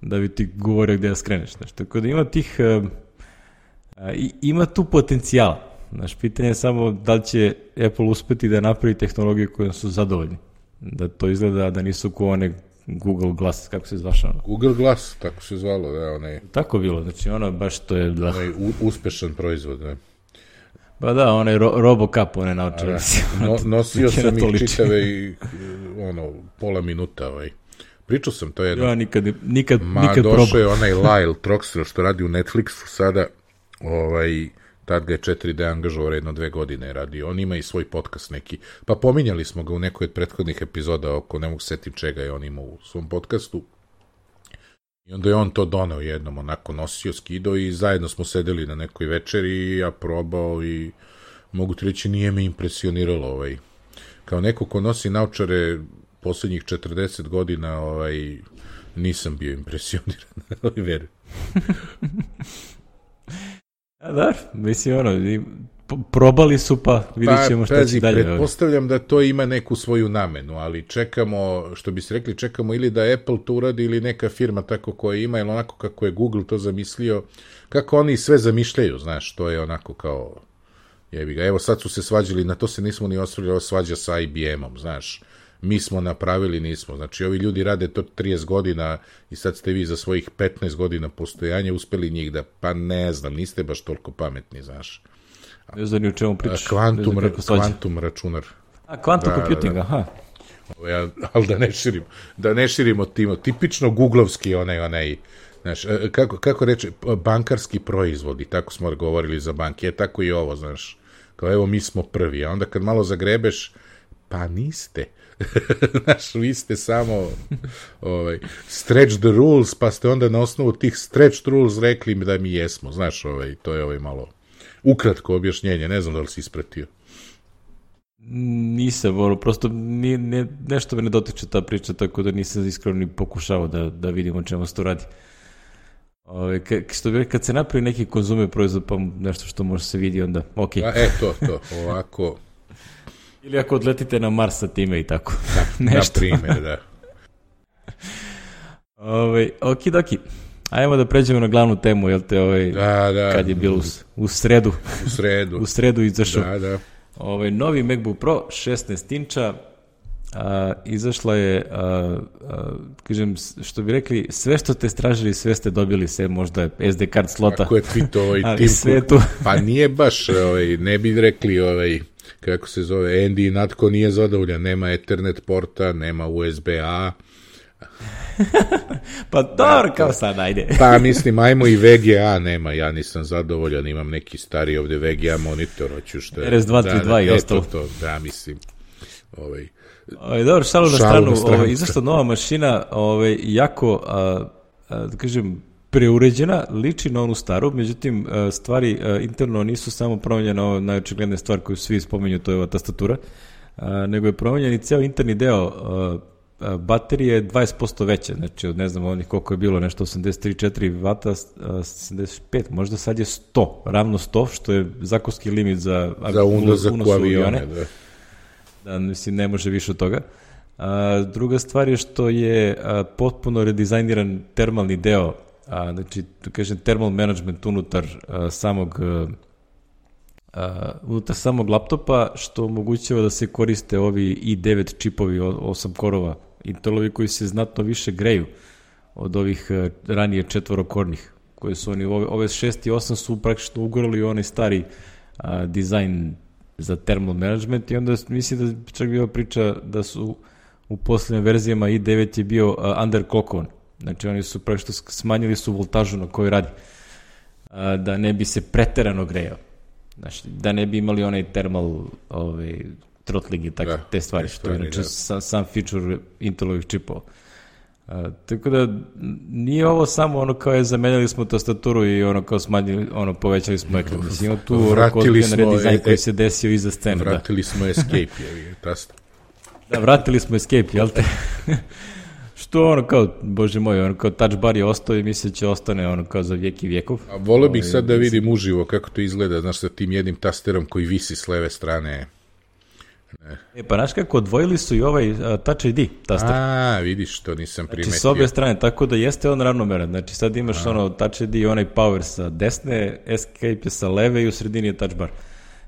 da bi ti govorio gde da skreneš. Znači, tako da ima tih, uh, uh, ima tu potencijala. Znači, pitanje je samo da li će Apple uspeti da napravi tehnologije koje su zadovoljni. Da to izgleda da nisu ko one Google Glass, kako se zvaša ono? Google Glass, tako se zvalo, da, onaj... Tako bilo, znači ono baš to je... Da. Onaj u, uspešan proizvod, ne? Ba da, onaj ro, RoboCup, one naučili. No, nosio sam ih čitave i, ono, pola minuta, ovaj. Pričao sam to jedno. Ja, nikad, nikad, Ma, nikad došao probao. Je onaj Lyle Troxler, što radi u Netflixu sada, ovaj... Tad ga je četiri D angažovao jedno dve godine radio. On ima i svoj podcast neki. Pa pominjali smo ga u nekoj od prethodnih epizoda oko ne mogu setim čega je on imao u svom podcastu. I onda je on to doneo jednom, onako nosio, skidao i zajedno smo sedeli na nekoj večeri i ja probao i mogu ti reći nije me impresioniralo. Ovaj. Kao neko ko nosi naučare poslednjih četrdeset godina ovaj, nisam bio impresioniran. Verujem. A da, mislim ono, probali su pa vidjet ćemo šta će dalje. Pretpostavljam da to ima neku svoju namenu, ali čekamo, što bi se rekli, čekamo ili da Apple to uradi ili neka firma tako koja ima, ili onako kako je Google to zamislio, kako oni sve zamišljaju, znaš, to je onako kao, jebi ga, evo sad su se svađali, na to se nismo ni osvrljali, ovo svađa sa I B M-om, znaš, mi smo napravili, nismo. Znači, ovi ljudi rade to trideset godina i sad ste vi za svojih petnaest godina postojanja uspeli njih da, pa ne znam, niste baš toliko pametni, znaš. Ne znam ni u čemu pričaš. Kvantum, ra, kvantum računar. A, quantum da, computing, da, da. aha. Ja, ali da ne širimo, da ne širimo timo, tipično googlovski onaj, onaj, znaš, kako, kako reče, bankarski proizvodi, tako smo govorili za banke, je tako i ovo, znaš, kao evo mi smo prvi, a onda kad malo zagrebeš, pa niste. Znaš, vi ste samo ovaj, stretch the rules, pa ste onda na osnovu tih stretch rules rekli mi da mi jesmo. Znaš, ovaj, to je ovaj malo ukratko objašnjenje, ne znam da li si ispratio. Nisam, ono, prosto nije, ne, nešto me ne dotiče ta priča, tako da nisam iskreno ni pokušao da, da vidim o čemu se to radi. Ove, ka, što bi, kad se napravi neki konzumer proizvod, pa nešto što može se vidi, onda ok. A, e, to, to, ovako... Ili ako odletite na Mars sa time i tako. Da, na primjer, da. Ove, okidoki. Ajmo da pređemo na glavnu temu, jel te, ovaj, da, da. Kad je bilo u, u sredu. U sredu. u sredu izašao. Da, da. Ovaj, novi MacBook Pro, šesnaest inča, a, izašla je, a, a, kažem, što bi rekli, sve što ste stražili, sve ste dobili, sve možda S D card slota. Ako je tweetovao ovaj Tim Cook, pa nije baš, ovaj, ne bi rekli, ovaj, kako se zove, Andy Natko nije zadovoljan, nema Ethernet porta, nema U S B A. Pa dobro, kao sad, ajde. Pa mislim, ajmo i V G A nema, ja nisam zadovoljan, imam neki stari ovde V G A monitor, hoću što je. R S dva tri dva da, i ostalo. To, da, mislim, ovaj... Ovaj, dobro, šalu na stranu, ovaj, izašla nova mašina, ovaj, jako, a, a, da kažem, preuređena, liči na onu staru, međutim, stvari interno nisu samo promenjene, ovo najočigledne stvar koju svi spomenju, to je ova tastatura, nego je promenjen i ceo interni deo. Baterija je dvadeset posto veća, znači od ne znam onih koliko je bilo, nešto osamdeset tri četiri vata, sedamdeset pet, možda sad je sto, ravno sto, što je zakonski limit za, za unos u avione. Da. Da, mislim, ne može više od toga. A, druga stvar je što je a, potpuno redizajniran termalni deo, a, znači, da kažem, thermal management unutar a, samog a, a, unutar samog laptopa, što omogućava da se koriste ovi i devet čipovi, osam korova, Intelovi koji se znatno više greju od ovih a, ranije četvorokornih, koje su oni, ove, ove šest i osam su praktično ugorali onaj stari a, dizajn za thermal management i onda mislim da čak bila priča da su u poslednjim verzijama i devet je bio uh, underclockovan. Znači oni su praktično smanjili su voltažu na kojoj radi. Uh, da ne bi se preterano grejao. Znači, da ne bi imali onaj thermal ovaj, throttling i tako, da, te stvari, što je inače sam, sam feature Intelovih čipova. Uh, tako da nije ovo samo ono kao je zamenjali smo tastaturu i ono kao smanjili, ono povećali smo ekran. Mislim, tu vratili smo redizajn koji se desio iza scene. Vratili da. smo escape, je tasta. Da, vratili smo escape, jel te? Što ono kao, bože moj, ono kao touch bar je ostao i misle će ostane ono kao za vijek i vijekov. A volio bih sad da vidim uživo kako to izgleda, znaš, sa tim jednim tasterom koji visi s leve strane. Ne. E, pa znaš kako, odvojili su i ovaj uh, Touch I D taster. A, vidiš, to nisam primetio. Znači, s obje strane, tako da jeste on ravnomeran. Znači, sad imaš A. ono Touch I D i onaj power sa desne, escape je sa leve i u sredini je touch bar.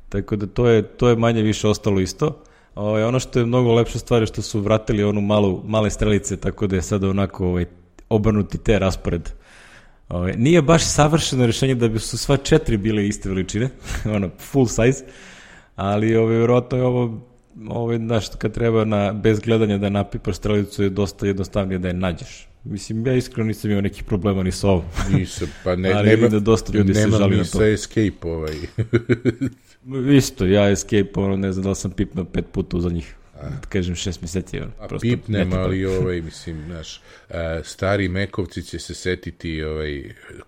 Tako da to je, to je manje više ostalo isto. O, ono što je mnogo lepša stvar je što su vratili onu malu, male strelice, tako da je sada onako ovaj, obrnuti te raspored. O, nije baš savršeno rješenje da bi su sva četiri bile iste veličine, ono, full size, ali ovaj, vjerojatno je ovo, ovaj, znaš, kad treba na, bez gledanja da napipaš strelicu je dosta jednostavnije da je nađeš. Mislim, ja iskreno nisam imao nekih problema ni sa ovom. Nisam, pa ne, ali nema, da dosta ljudi se žali na to. Nema mi sa escape ovaj. Isto, ja escape, ono, ne znam da li sam pipnao pet puta za njih, da kažem šest mjeseci. Ono, a pipnem, ali ovaj, mislim, znaš, stari Mekovci će se setiti, ovaj,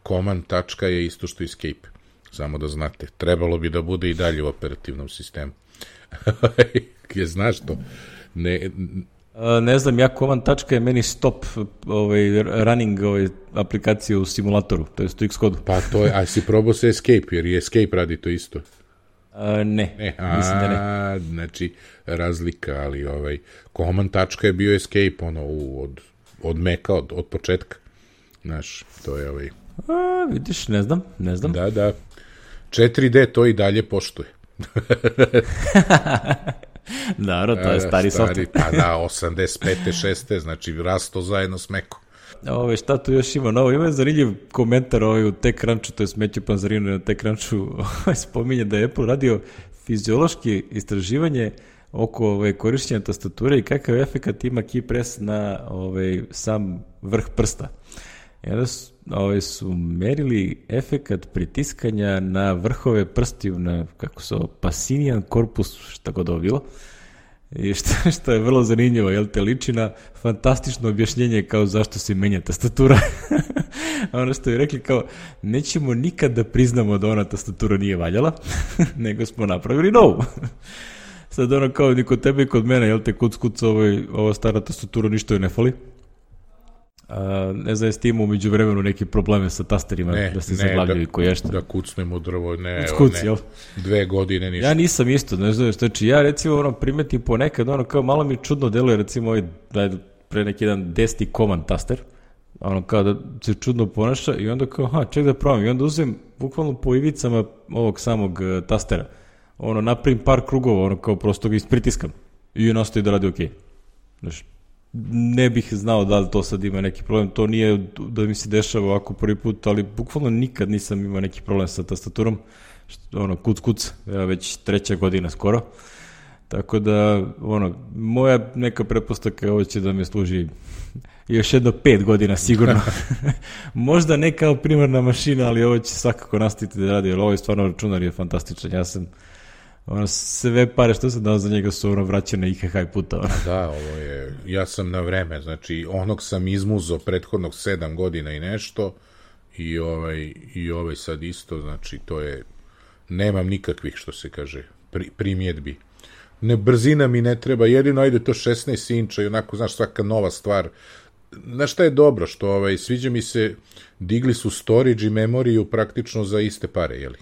command tačka je isto što escape, samo da znate, trebalo bi da bude i dalje u operativnom sistemu. Je, znaš to? Ne... A, ne znam, ja command tačka je meni stop ovaj, running ovaj, aplikacije u simulatoru, to je u Xcodu. Pa to je, a si probao se escape, jer i escape radi to isto. A, ne, ne, mislim da ne. A, znači, razlika, ali ovaj, command tačka je bio escape, ono, u, od, od Maca, od, od početka. Znaš, to je ovaj... A, vidiš, ne znam, ne znam. Da, da. četiri D to i dalje poštuje. Naravno, to je stari, stari software. Pa da, osamdeset pete šeste znači rasto zajedno s Macom. Ove, šta tu još ima novo? Ima je zanimljiv komentar ovaj u TechCrunchu, to je Smeću Panzarinu na TechCrunchu, spominje da je Apple radio fiziološki istraživanje oko ovaj, korišćenja tastature i kakav efekt ima key press na ovaj, sam vrh prsta. I onda su, ovaj, su merili efekt pritiskanja na vrhove prstiju, na, kako se ovo, Pacinian corpus, šta god ovo bilo. I što, što je vrlo zanimljivo, jel te liči na fantastično objašnjenje kao zašto se menja tastatura. Ono što je rekli kao, nećemo nikad da priznamo da ona tastatura nije valjala, nego smo napravili novu. Sad ono kao ni kod tebe i kod mene, jel te kuc kuc, ovaj, ova stara tastatura ništa joj ne fali. A, ne znam, jeste imao umeđu vremenu neke probleme sa tasterima, ne, da se zaglavljaju ko ješta. Da kucnemo drvo, ne, kuc, ne, jel? Dve godine ništa. Ja nisam isto, ne znam, znači ja recimo ono, primetim ponekad, ono kao malo mi čudno deluje, recimo ovaj, pre neki jedan deseti command taster, ono kao da se čudno ponaša i onda kao, ha, ček da probam, i onda uzem bukvalno po ivicama ovog samog uh, tastera, ono, napravim par krugova, ono kao prosto ga ispritiskam i nastoji da radi okej. Okay. Znači, ne bih znao da li to sad ima neki problem, to nije da mi se dešava ovako prvi put, ali bukvalno nikad nisam imao neki problem sa tastaturom, što, ono, kuc kuc, ja već treća godina skoro, tako da, ono, moja neka pretpostavka je ovo će da me služi još jedno pet godina sigurno, možda ne kao primarna mašina, ali ovo će svakako nastaviti da radi, jer ovo je stvarno računar je fantastičan, ja sam ono, sve pare što sam dao za njega su ono vraćane i kakaj puta. Ono. Da, ovo je, ja sam na vreme, znači onog sam izmuzo prethodnog sedam godina i nešto i ovaj, i ovaj sad isto, znači to je, nemam nikakvih što se kaže, pri, primjedbi. Ne, brzina mi ne treba, jedino ajde to šesnaest inča i onako, znaš, svaka nova stvar. Znaš šta je dobro, što ovaj, sviđa mi se, digli su storage i memoriju praktično za iste pare, jeli?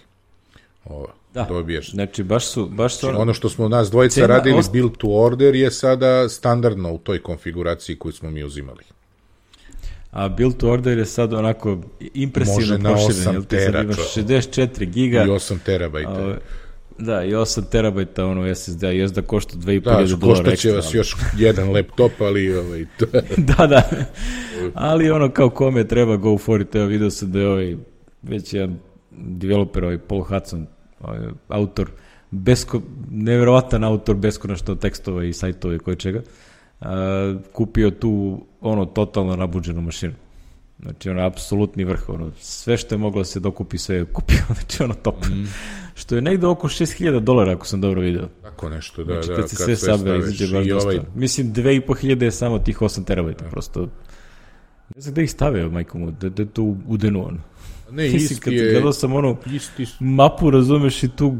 Ovo, da, dobiješ. Znači, baš su... Baš su znači, ono što smo nas dvojica cena radili, ost... build to order, je sada standardno u toj konfiguraciji koju smo mi uzimali. A build to order je sad onako impresivno proširen. Može na osam tera. Imaš šezdeset četiri giga. I osam terabajta. A, da, i osam terabajta ono es es de, jest da košta dve i po hiljade dolara ekstra. Da, košta će vas još jedan laptop, ali... Ovaj, to... da, da. Ali ono kao kome treba go for it, evo vidio sam da je ovaj već jedan developer, ovaj Paul Hudson, ovaj, autor, besko, nevjerovatan autor beskonačno tekstova i sajtova i koje čega, a, kupio tu ono totalno nabuđenu mašinu. Znači ono apsolutni vrh, ono sve što je moglo da se dokupi sve je kupio, znači ono top. Mm. Što je negde oko šest hiljada dolara ako sam dobro video. Tako nešto, da, znači, da. Kad se sve sabe, izađe baš dosta. Ovaj... Mislim, dve i po hiljade je samo tih osam terabajta, da. Prosto. Ne znam gde ih stavio, majko mu, da, da je to udenu ono. Ne, Mislim, isti kad je... gledao sam ono isti... mapu, razumeš, i tu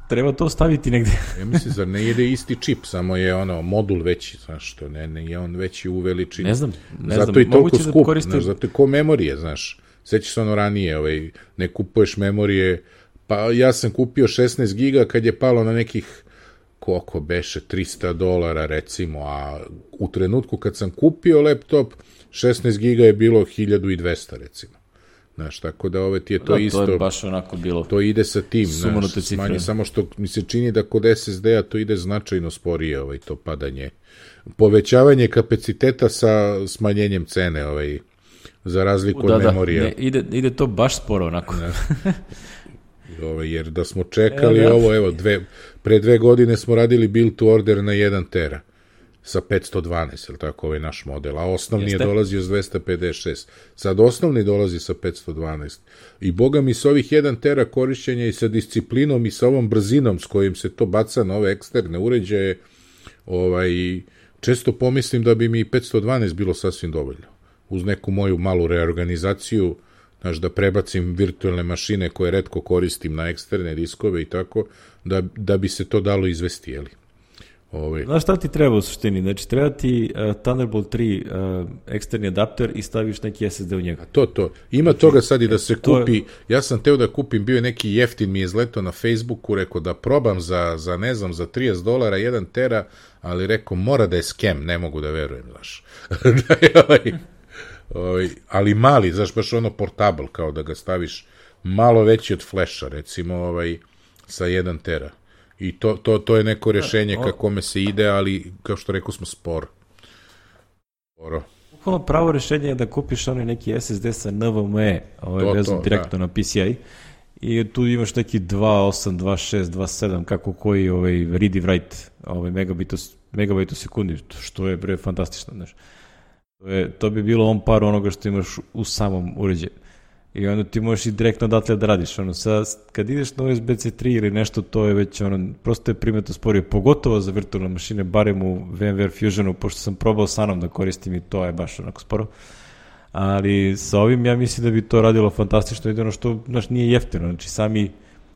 treba to staviti negde. Ja mislim, zar ne ide isti čip, samo je ono modul veći, znaš što, ne, ne, je on veći u veličini. Ne znam, ne zato znam. I toliko skup, da koriste... znaš, zato je ko memorije, znaš. Sećaš se ono ranije, ovaj, ne kupuješ memorije, pa ja sam kupio šesnaest giga kad je palo na nekih, koliko beše, trista dolara recimo, a u trenutku kad sam kupio laptop, šesnaest giga je bilo hiljadu dvesta recimo. Znaš, tako da ove ti je to da, isto... To je baš onako bilo... To ide sa tim, znaš, smanje, samo što mi se čini da kod es es de-a to ide značajno sporije, ovaj, to padanje. Povećavanje kapaciteta sa smanjenjem cene, ovaj, za razliku da, od memorija. Da, ne, ide, ide to baš sporo onako. Ovaj, jer da smo čekali e, da. ovo, evo, dve, pre dve godine smo radili build to order na jedan tera. Sa petsto dvanaest, je li tako, ovaj naš model, a osnovni Jeste. je dolazio s dvesta pedeset šest. Sad osnovni dolazi sa petsto dvanaest. I boga mi s ovih jedan tera korišćenja i sa disciplinom i sa ovom brzinom s kojim se to baca na ove eksterne uređaje, ovaj, često pomislim da bi mi petsto dvanaest bilo sasvim dovoljno. Uz neku moju malu reorganizaciju, znaš, da prebacim virtualne mašine koje retko koristim na eksterne diskove i tako, da, da bi se to dalo izvesti, jeli. Ove. Znaš šta ti treba u suštini? Znači, treba ti uh, Thunderbolt tri uh, eksterni adapter i staviš neki es es de u njega. A to, to. Ima znači, toga sad i da se kupi. Je... Ja sam teo da kupim, bio je neki jeftin, mi je izletao na Facebooku, rekao da probam za, za ne znam, za trideset dolara, jedan tera, ali rekao, mora da je scam, ne mogu da verujem, znaš. da je ovaj, ovaj, ali mali, znaš, baš ono portable, kao da ga staviš malo veći od flasha, recimo, ovaj, sa jedan tera. I to, to, to je neko rješenje ka kome se ide, ali kao što rekao smo sporo. Sporo. Bukvalno pravo rješenje je da kupiš onaj neki es es de sa en ve em e, ovaj vezan direktno da. na P C I, i tu imaš neki dva osam, dva šest, dva sedam, kako koji ovaj read i write ovaj megabit megabit u sekundi, što je bre fantastično, znaš. To je to bi bilo on par onoga što imaš u samom uređaju. I onda ti možeš i direktno odatle da radiš. Ono, sad, kad ideš na U S B C tri ili nešto, to je već, ono, prosto je primetno sporije, pogotovo za virtualne mašine, barem u VMware Fusionu, pošto sam probao sa mnom da koristim i to je baš onako sporo. Ali sa ovim ja mislim da bi to radilo fantastično, i ono što, znaš, nije jeftino. Znači, sami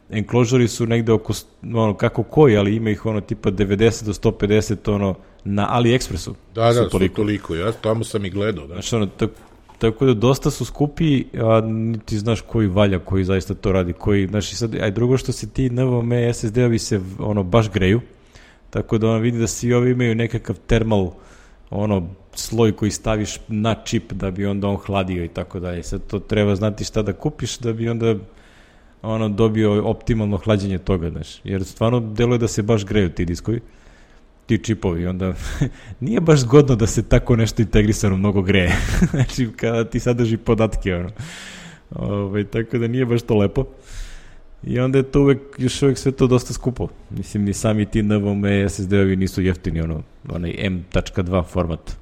enclosure su negde oko, ono, kako koji, ali ima ih ono tipa devedeset do sto pedeset, ono, na AliExpressu. Da, da, su toliko. toliko, ja tamo sam i gledao, da. Znači, ono, tako, Tako da dosta su skupi, a ti znaš koji valja, koji zaista to radi, koji, znaš, i sad, aj drugo što se ti en ve em e es es de-ovi se, ono, baš greju, tako da ono vidi da svi ovi imaju nekakav termal, ono, sloj koji staviš na čip da bi onda on hladio i tako dalje. Sad to treba znati šta da kupiš da bi onda, ono, dobio optimalno hlađenje toga, znaš, jer stvarno deluje da se baš greju ti diskovi, ti čipovi, onda nije baš zgodno da se tako nešto integrisano mnogo greje. Znači, kada ti sadrži podatke, ono. Ove, tako da nije baš to lepo. I onda je to uvek, još uvek sve to dosta skupo. Mislim, ni sami ti en ve em e es es de-ovi nisu jeftini, ono, onaj em dva format.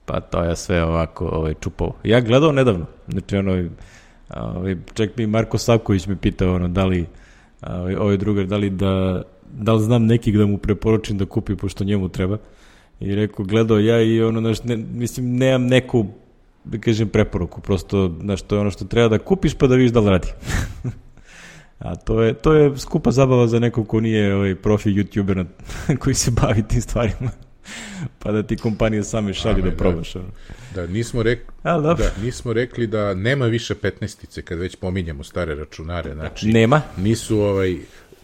Pa to je sve ovako ovaj, čupao. Ja gledao nedavno, znači, ono, ovaj, čak mi Marko Savković me pitao, ono, da li, ovaj, ovaj drugar, da li da da li znam nekih da mu preporučim da kupi, pošto njemu treba. I rekao, gledao ja i ono, znaš, ne, mislim, nemam neku, da kažem, preporuku, prosto, znaš, to je ono što treba da kupiš pa da vidiš da li radi. A to je, to je skupa zabava za nekog ko nije ovaj profi youtuber koji se bavi tim stvarima. Pa da ti kompanije same šalju da probaš. Da, da, nismo, rek... da, nismo rekli da nema više petnaestice kad već pominjamo stare računare. Znači, nema. Nisu ovaj,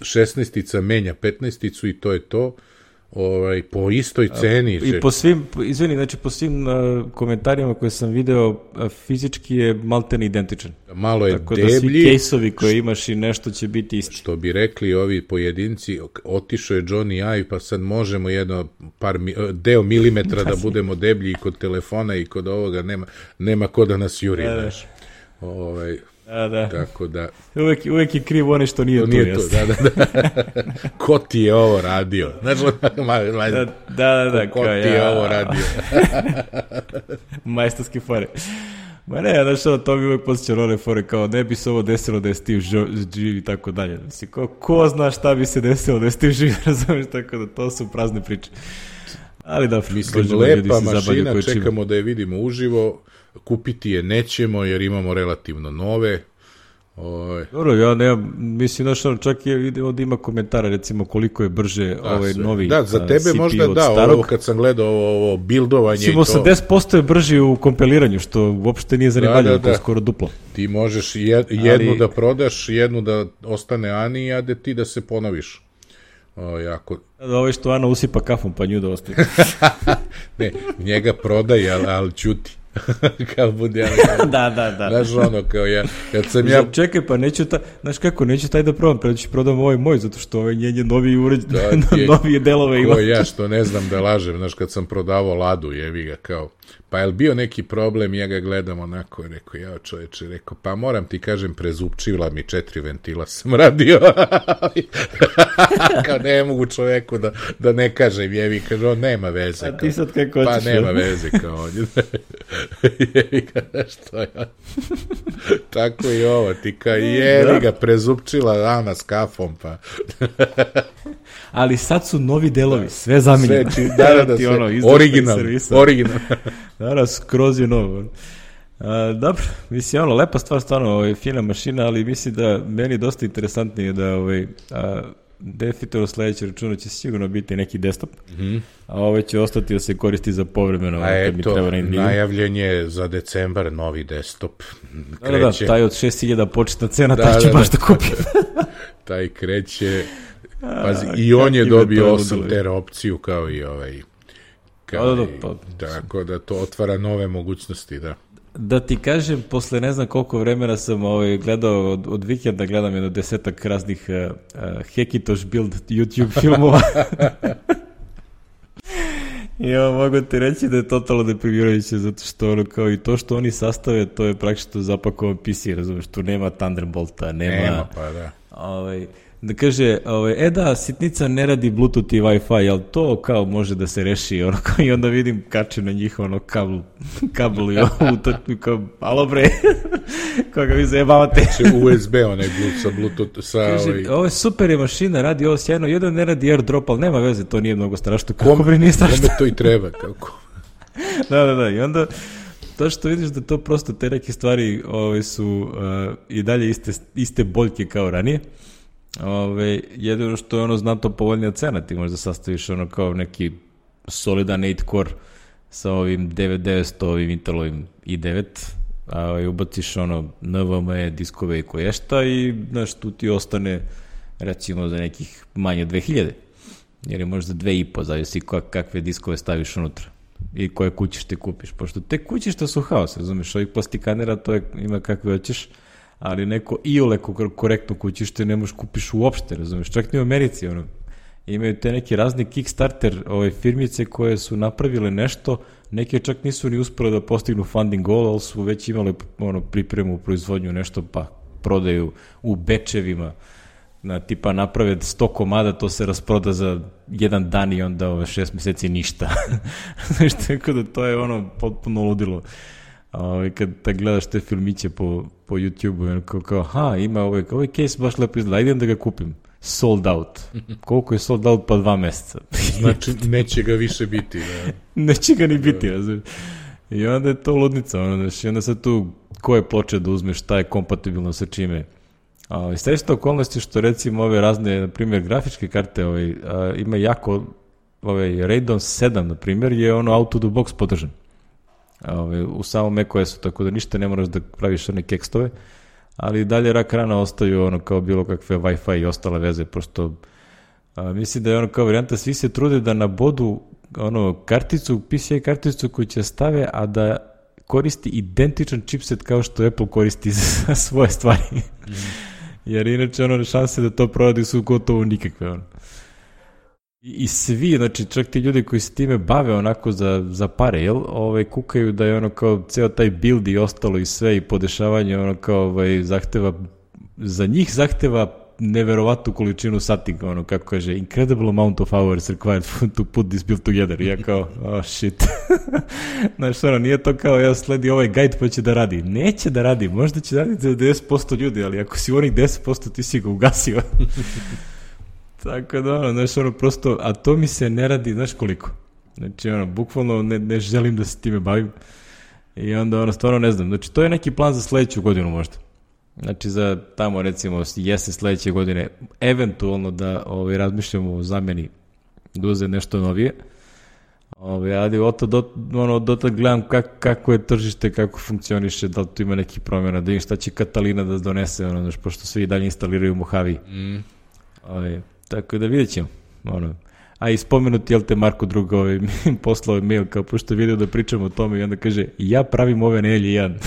šesnaestica menja petnaesticu i to je to. Ovaj, po istoj ceni. I po svim, izvini, znači po svim uh, komentarima koje sam video, uh, fizički je maltene identičan. Malo je tako deblji. Tako da svi kejsovi koje imaš i nešto će biti isti. Što bi rekli ovi pojedinci, otišao je Johnny Ive, pa sad možemo jedno par mi, deo milimetra da budemo deblji i kod telefona i kod ovoga, nema, nema ko da nas juri. Da, da. Ovaj, da, da. Tako da... Uvek, uvek je kriv one što nije to. Nije to, da, da, da. Ko ti je ovo radio? Znači, ma, ma, da, da, da. Ko ti je ja. ovo radio? Majstorski fore. Ma ne, znaš ono, to mi uvek posjeća one fore, kao ne bi se ovo desilo da je Steve živ i tako dalje. Mislim, ko, ko zna šta bi se desilo da je Steve živ, razumiješ, tako da to su prazne priče. Ali da, mislim, lepa mašina, čekamo da je vidimo uživo, kupiti je nećemo jer imamo relativno nove. Oj. Dobro, ja nemam, mislim, znaš, ono, čak je ovdje ima komentara, recimo, koliko je brže da, ovaj sve. novi da, za tebe C P U možda od da, starog. ovo kad sam gledao ovo, ovo bildovanje mislim, i to. osamdeset posto je brži u kompiliranju, što uopšte nije zanimljivo, da, da, da. To je skoro duplo. Ti možeš jed, jednu Ali... da prodaš, jednu da ostane Ani, a da ti da se ponoviš. O, jako... Da, ovaj što Ana usipa kafom, pa nju da ostaje. Ne, njega prodaj, ali, ali čuti. Kao bude, ali, da, da, da. Znaš ono, kao ja, kad sam ja... Čekaj, pa neću taj, znaš kako, neću taj da probam, preći prodam ovaj moj, zato što ovaj njenje novi uređ, novije delove ima. Ko ja što ne znam da lažem, znaš, kad sam prodavao Ladu, jevi ga, kao, pa je li bio neki problem, ja ga gledam onako, rekao, ja čoveče, rekao, pa moram ti kažem, prezupčila mi četiri ventila sam radio. Kao ne mogu čoveku da, da ne kažem, jevi, kaže, on nema veze. A ti sad kako pa hoćeš? Pa nema veze, kao on. Jevi ga, što je. Tako i ovo, ti kao, jevi ga, prezupčila Ana s kafom, pa... Ali sad su novi delovi, sve zamiljeno. Sve, da, da, da, sve. Ono, original, original. Da, skroz je novo. A, dobro, mislim, ono, lepa stvar, stvarno, ovaj, fina mašina, ali mislim da meni dosta interesantnije da, ovaj, a, definitivno sledeći računar će sigurno biti neki desktop, mm-hmm. a ovaj će ostati da se koristi za povremeno. A eto, najavljen je za decembar novi desktop. Da, da, taj od šest hiljada početna cena, da, taj će da, baš da, da kupi. Taj kreće... Pazi, a, i on je dobio osam tera opciju kao i ovaj kao da, da, pa, i, tako da to otvara nove mogućnosti, da. Da ti kažem, posle ne znam koliko vremena sam ovaj, gledao, od, od vikenda gledam jedno desetak raznih uh, uh, Hekitoš build YouTube filmova. I evo, mogu ti reći da je totalno deprimirajuće, zato što ono kao i to što oni sastave, to je praktično zapakovan P C, razumiješ, tu nema Thunderbolta, nema... Nema, pa da. Ovaj, da kaže, ovaj, e da, sitnica ne radi Bluetooth i Wi-Fi, ali to kao može da se reši, ono, kao, i onda vidim kače na njih, ono, kabl, kabl i ovo, kao, alo bre, koga vi zajebavate. U S B, onaj Bluetooth, sa Bluetooth, sa... Kaže, ovaj... ovo je super je mašina, radi ovo sjajno, jedan ne radi AirDrop, ali nema veze, to nije mnogo strašno, kako bre nije strašno. Kome to i treba, kako? Da, da, da, i onda... To što vidiš da to prosto te neke stvari ove, su uh, i dalje iste, iste boljke kao ranije. Ove, jedino što je ono znatno povoljnija cena, ti možda sastaviš ono kao neki solidan osam core sa ovim devet devetsto, ovim Intelovim i devet, a ubaciš ono N V M E diskove i koješta i znaš, tu ti ostane recimo za nekih manje dve hiljade, jer je možda dve i po, zavisi kakve diskove staviš unutra i koje kućište kupiš, pošto te kućišta su haos, razumiješ, ovih plastikanera to je, ima kakve hoćeš, ali neko iole korektno kućište ne možeš kupiš uopšte, razumiješ, čak ni u Americi, ono, imaju te neke razne Kickstarter ove firmice koje su napravile nešto, neke čak nisu ni uspjele da postignu funding goal, ali su već imale ono, pripremu, proizvodnju, nešto pa prodaju u bečevima, na, tipa naprave sto komada, to se rasproda za jedan dan i onda ove šest meseci ništa. Znaš, tako da to je ono potpuno ludilo. Ove, kad da gledaš te filmiće po, po YouTube-u, kao, kao, aha, ima ovaj, ovaj case baš lepo izgleda, idem da ga kupim. Sold out. Koliko je sold out? Pa dva meseca. Znači, neće ga više biti. Da. Neće ga ni biti, razumiješ. I onda je to ludnica, ono, znaš, i onda sad tu koje ploče da uzmeš, šta je kompatibilno sa čime. A, srećno okolnosti što recimo ove razne, na primjer, grafičke karte ovaj, a, ima jako ovaj Radeon sedam, na primjer, je ono out of the box podržan. Ovaj, u samom macOS-u, tako da ništa ne moraš da praviš one kekstove, ali dalje rak rana ostaju ono kao bilo kakve Wi-Fi i ostale veze, prosto a, mislim da je ono kao varijanta, svi se trude da nabodu ono karticu, P C I karticu koju će stave, a da koristi identičan chipset kao što Apple koristi za svoje stvari. Mm. Jer inače ono šanse da to proradi su gotovo nikakve. Ono. I, I svi, znači čak ti ljudi koji se time bave onako za, za pare, jel, ovaj, kukaju da je ono kao ceo taj build i ostalo i sve i podešavanje ono kao ovaj, zahteva, za njih zahteva neverovatnu količinu sati, ono kako kaže, incredible amount of hours required to put this build together. I ja kao, oh shit. Znaš, ono, nije to kao ja sledi ovaj guide pa će da radi. Neće da radi, možda će da radi za deset posto ljudi, ali ako si u onih deset posto ti si ga ugasio. Tako da, ono, znaš, ono, prosto, a to mi se ne radi, znaš koliko. Znači, ono, bukvalno ne, ne želim da se time bavim. I onda, ono, stvarno ne znam. Znači, to je neki plan za sledeću godinu možda. Znači, za tamo, recimo, jesen sledeće godine, eventualno da ovaj, razmišljamo o zameni, da uze nešto novije. Ovaj, ali od do, ono, do tad gledam kak, kako je tržište, kako funkcioniše, da li tu ima neki promjena, da im šta će Katalina da donese, ono, znaš, pošto svi dalje instaliraju Mojave. Mm. Ovaj, tako da vidjet ćemo. Ono. A i spomenuti, jel te, Marko Druga ovaj, poslao je mail, kao pošto je vidio da pričamo o tome i onda kaže, ja pravim ove na L jedan.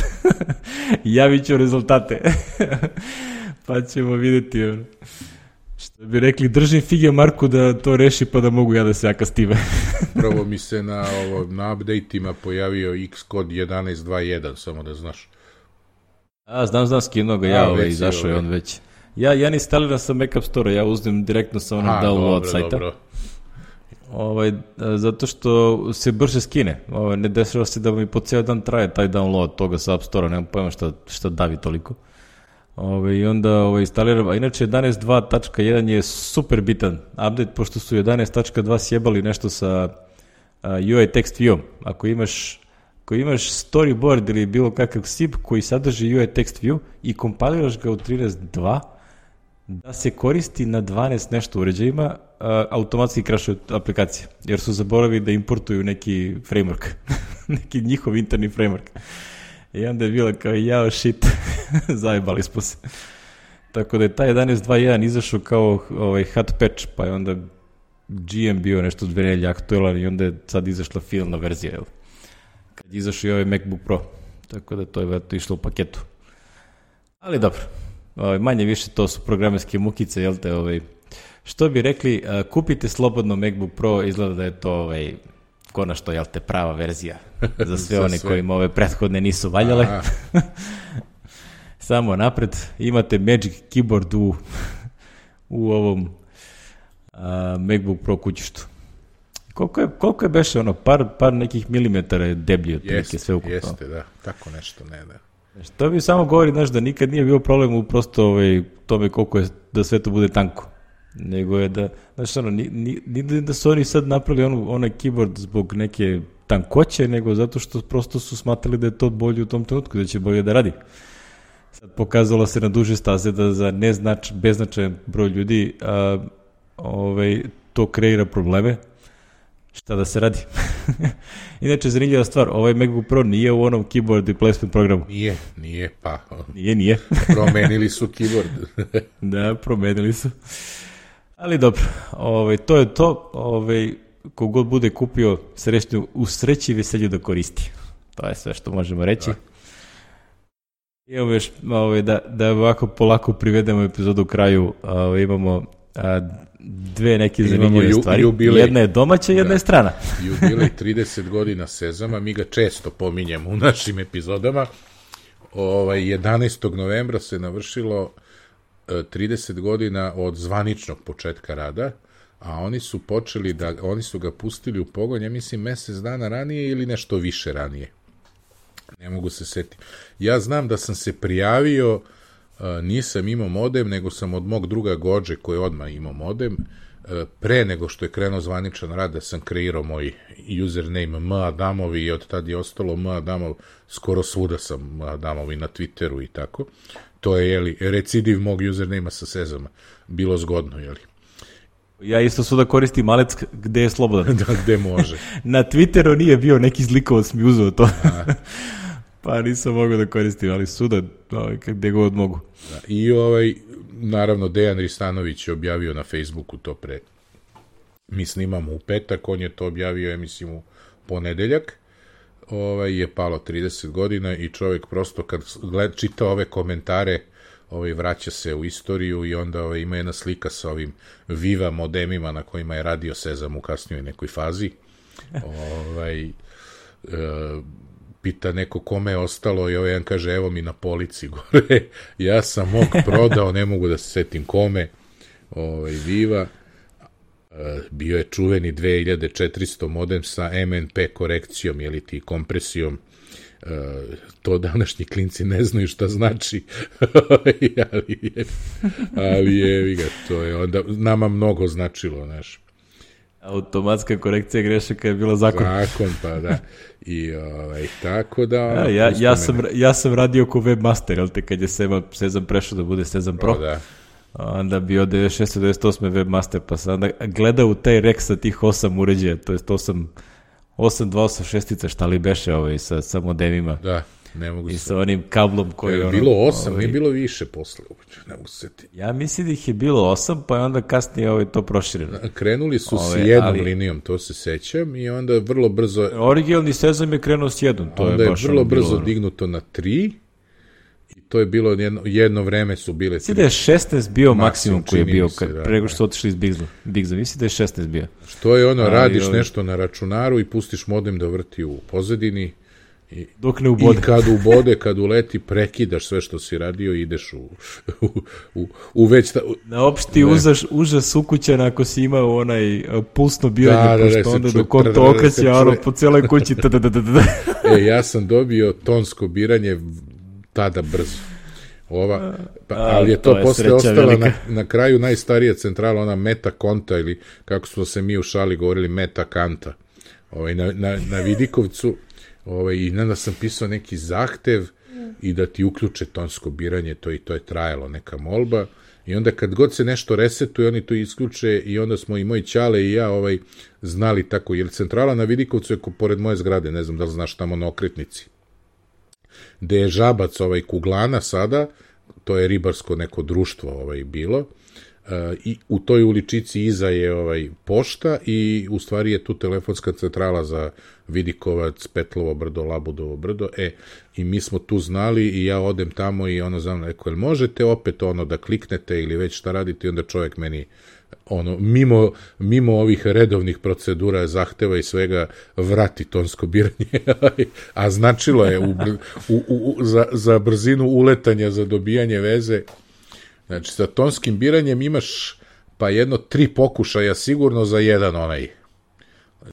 Javit ću rezultate. Pa ćemo vidjeti. Ono. Što bi rekli, držim fige Marku da to reši pa da mogu ja da se jaka s time. Prvo mi se na, ovo, na update-ima pojavio Xcode jedanaest dvadeset jedan, samo da znaš. A, znam, znam, skinuo ga ja, ovaj, izašao je on već. Ja, ja ne instaliram sa Mac App Store, ja uzmem direktno sa onom download dobro, sajta. Dobro. Ovaj, zato što se brže skine. Ovaj, ne dešava se da mi po ceo dan traje taj download toga sa App Store-a, nemam pojma šta, šta davi toliko. Ovaj, I onda ovaj, instaliram, a inače jedanaest dva tačka jedan je super bitan update, pošto su jedanaest tačka dva sjebali nešto sa uh, U I text view. Ako imaš, ako imaš storyboard ili bilo kakav S I P koji sadrži U I text view i kompiliraš ga u trinaest dva, da se koristi na dvanaest nešto uređajima, uh, automatski crashuje aplikacija, jer su zaboravili da importuju neki framework, neki njihov interni framework. I onda je bilo kao, jao shit, zajebali smo se. Tako da je taj jedanaest dvadeset jedan izašao kao ovaj, hot patch, pa je onda G M bio nešto dve nedelje aktuelan i onda je sad izašla finalna verzija, jel? Kad je izašao i ovaj MacBook Pro. Tako da to je veto išlo u paketu. Ali dobro, ovaj, manje više to su programerske mukice, jel te, ovaj, što bi rekli, uh, kupite slobodno MacBook Pro, izgleda da je to ovaj, konačno, jel te, prava verzija za sve one sve. Kojima ove prethodne nisu valjale. Samo napred, imate Magic Keyboard u, u ovom uh, MacBook Pro kućištu. Koliko je, koliko je beše ono, par, par nekih milimetara je deblji od neke sve ukupno. Jeste, da, tako nešto, ne, da. To bi samo govori, znaš, da nikad nije bio problem u prosto ovaj, tome koliko je, da sve to bude tanko. Nego je da, znaš, ono, ni, ni, ni da su oni sad napravili ono, onaj keyboard zbog neke tankoće, nego zato što prosto su smatrali da je to bolje u tom trenutku, da će bolje da radi. Sad pokazalo se na duže staze da za neznač, beznačajan broj ljudi a, ovaj, to kreira probleme. Šta da se radi? Inače, zanimljiva stvar, ovaj MacBook Pro nije u onom keyboard replacement programu. Nije, nije, pa. Nije, nije. Promenili su keyboard. Da, promenili su. Ali dobro, ovaj, to je to. Ovaj, kogod bude kupio srećnu, u sreći i veselju da koristi. To je sve što možemo reći. Da. I evo još, ovaj, da, da ovako polako privedemo epizodu u kraju. Ovaj, imamo a, dve neke zanimljive ju, stvari. Jubilej, jedna je domaća, jedna da, je strana. Jubilej trideset godina Sezama, mi ga često pominjemo u našim epizodama. Ovaj, jedanaestog novembra se navršilo trideset godina od zvaničnog početka rada, a oni su počeli da, oni su ga pustili u pogon, ja mislim, mesec dana ranije ili nešto više ranije. Ne mogu se setiti. Ja znam da sam se prijavio, nisam imao modem, nego sam od mog druga Gođe, koji je odmah imao modem, pre nego što je krenuo zvaničan rad, da sam kreirao moj username M. Adamovi i od tad je ostalo M. Adamov, skoro svuda sam M. Adamovi na Twitteru i tako. To je, jeli, recidiv mog username-a sa Sezama. Bilo zgodno, jeli. Ja isto su da koristim malec gde je slobodan. Da, gde može. Na Twitteru nije bio neki zlikovac mi uzeo to. Pa nisam mogao da koristim, ali suda ovaj, gde god mogu. Da, i ovaj, naravno, Dejan Ristanović je objavio na Facebooku to pre. Mi snimamo u petak, on je to objavio, ja mislim, u ponedeljak. Ovaj, je palo trideset godina i čovjek prosto kad gled, čita ove komentare, ovaj, vraća se u istoriju i onda ovaj, ima jedna slika sa ovim Viva modemima na kojima je radio Sezam u kasnijoj nekoj fazi. ovaj, e, pita neko kome je ostalo i ovaj jedan kaže evo mi na polici gore, ja sam mog prodao, ne mogu da se setim kome, ovaj, Viva. Bio je čuveni dve hiljade četiristo modem sa M N P korekcijom, jeli ti, kompresijom. To današnji klinci ne znaju šta znači, ali je, ali je, ga, to je onda nama mnogo značilo, znaš. Automatska korekcija grešaka je bila zakon. Zakon, pa da. I ovaj, tako da... Ja, ja, ja, sam, ja sam radio ko webmaster, jel te, kad je Sezam prešao da bude Sezam Pro. O, da. Onda bio devedeset šeste devedeset osme webmaster, pa sam onda gledao u taj rek sa tih osam uređaja, to je osam, osam dva osam šest, šta li beše ovaj, sa, sa modemima. Da, ne mogu se... I sa onim kablom koji... Je ono, bilo osam, ovaj, nije bilo više posle, ne mogu se setiti. Ja mislim da ih je bilo osam, pa je onda kasnije ovaj, to prošireno. Krenuli su ovaj, s jednom ali... linijom, to se sećam, i onda vrlo brzo... Originalni Sezam je krenuo s jednom, to onda je baš... je vrlo ono brzo bilo, dignuto na tri, i to je bilo jedno, jedno vreme su bile... Mislim da je šesnaest bio maksimum, maksimum koji je bio, se, kad, da, prego što su otišli iz Bigza. Bigza, mislim da je šesnaest bio. Što je ono, ali, radiš ovaj... nešto na računaru i pustiš modem da vrti u pozadini, i, dok ne ubode. I kad ubode, kad uleti, prekidaš sve što si radio i ideš u, u, u, u već... Ta, u, na opšti užas, užas ukućana ako si imao onaj pulsno biranje, da, pošto da, onda ču, dok on to okreće, ono po cijeloj kući. E, ja sam dobio tonsko biranje tada brzo. Ova, pa, ali je to, to je posle ostala na, na kraju najstarija centrala, ona Meta Konta, ili kako smo se mi u šali govorili, Meta Kanta, ovaj, na, na, na Vidikovcu, ovaj, i onda sam pisao neki zahtev i da ti uključe tonsko biranje, to i to je trajalo, neka molba, i onda kad god se nešto resetuje, oni to isključe, i onda smo i moj ćale i ja ovaj, znali tako, jer centrala na Vidikovcu je pored moje zgrade, ne znam da li znaš tamo na Okretnici, gde je Žabac, ovaj, Kuglana sada, to je ribarsko neko društvo ovaj, bilo, uh, i u toj uličici iza je ovaj, pošta, i u stvari je tu telefonska centrala za Vidikovac, Petlovo brdo, Labudovo brdo, e, i mi smo tu znali, i ja odem tamo i ono znam, rekao, jel možete opet ono da kliknete ili već šta radite, i onda čovjek meni ono, mimo, mimo ovih redovnih procedura, zahteva i svega, vrati tonsko biranje, a značilo je u, u, u, za, za brzinu uletanja, za dobijanje veze. Znači, sa tonskim biranjem imaš pa jedno tri pokušaja sigurno za jedan onaj,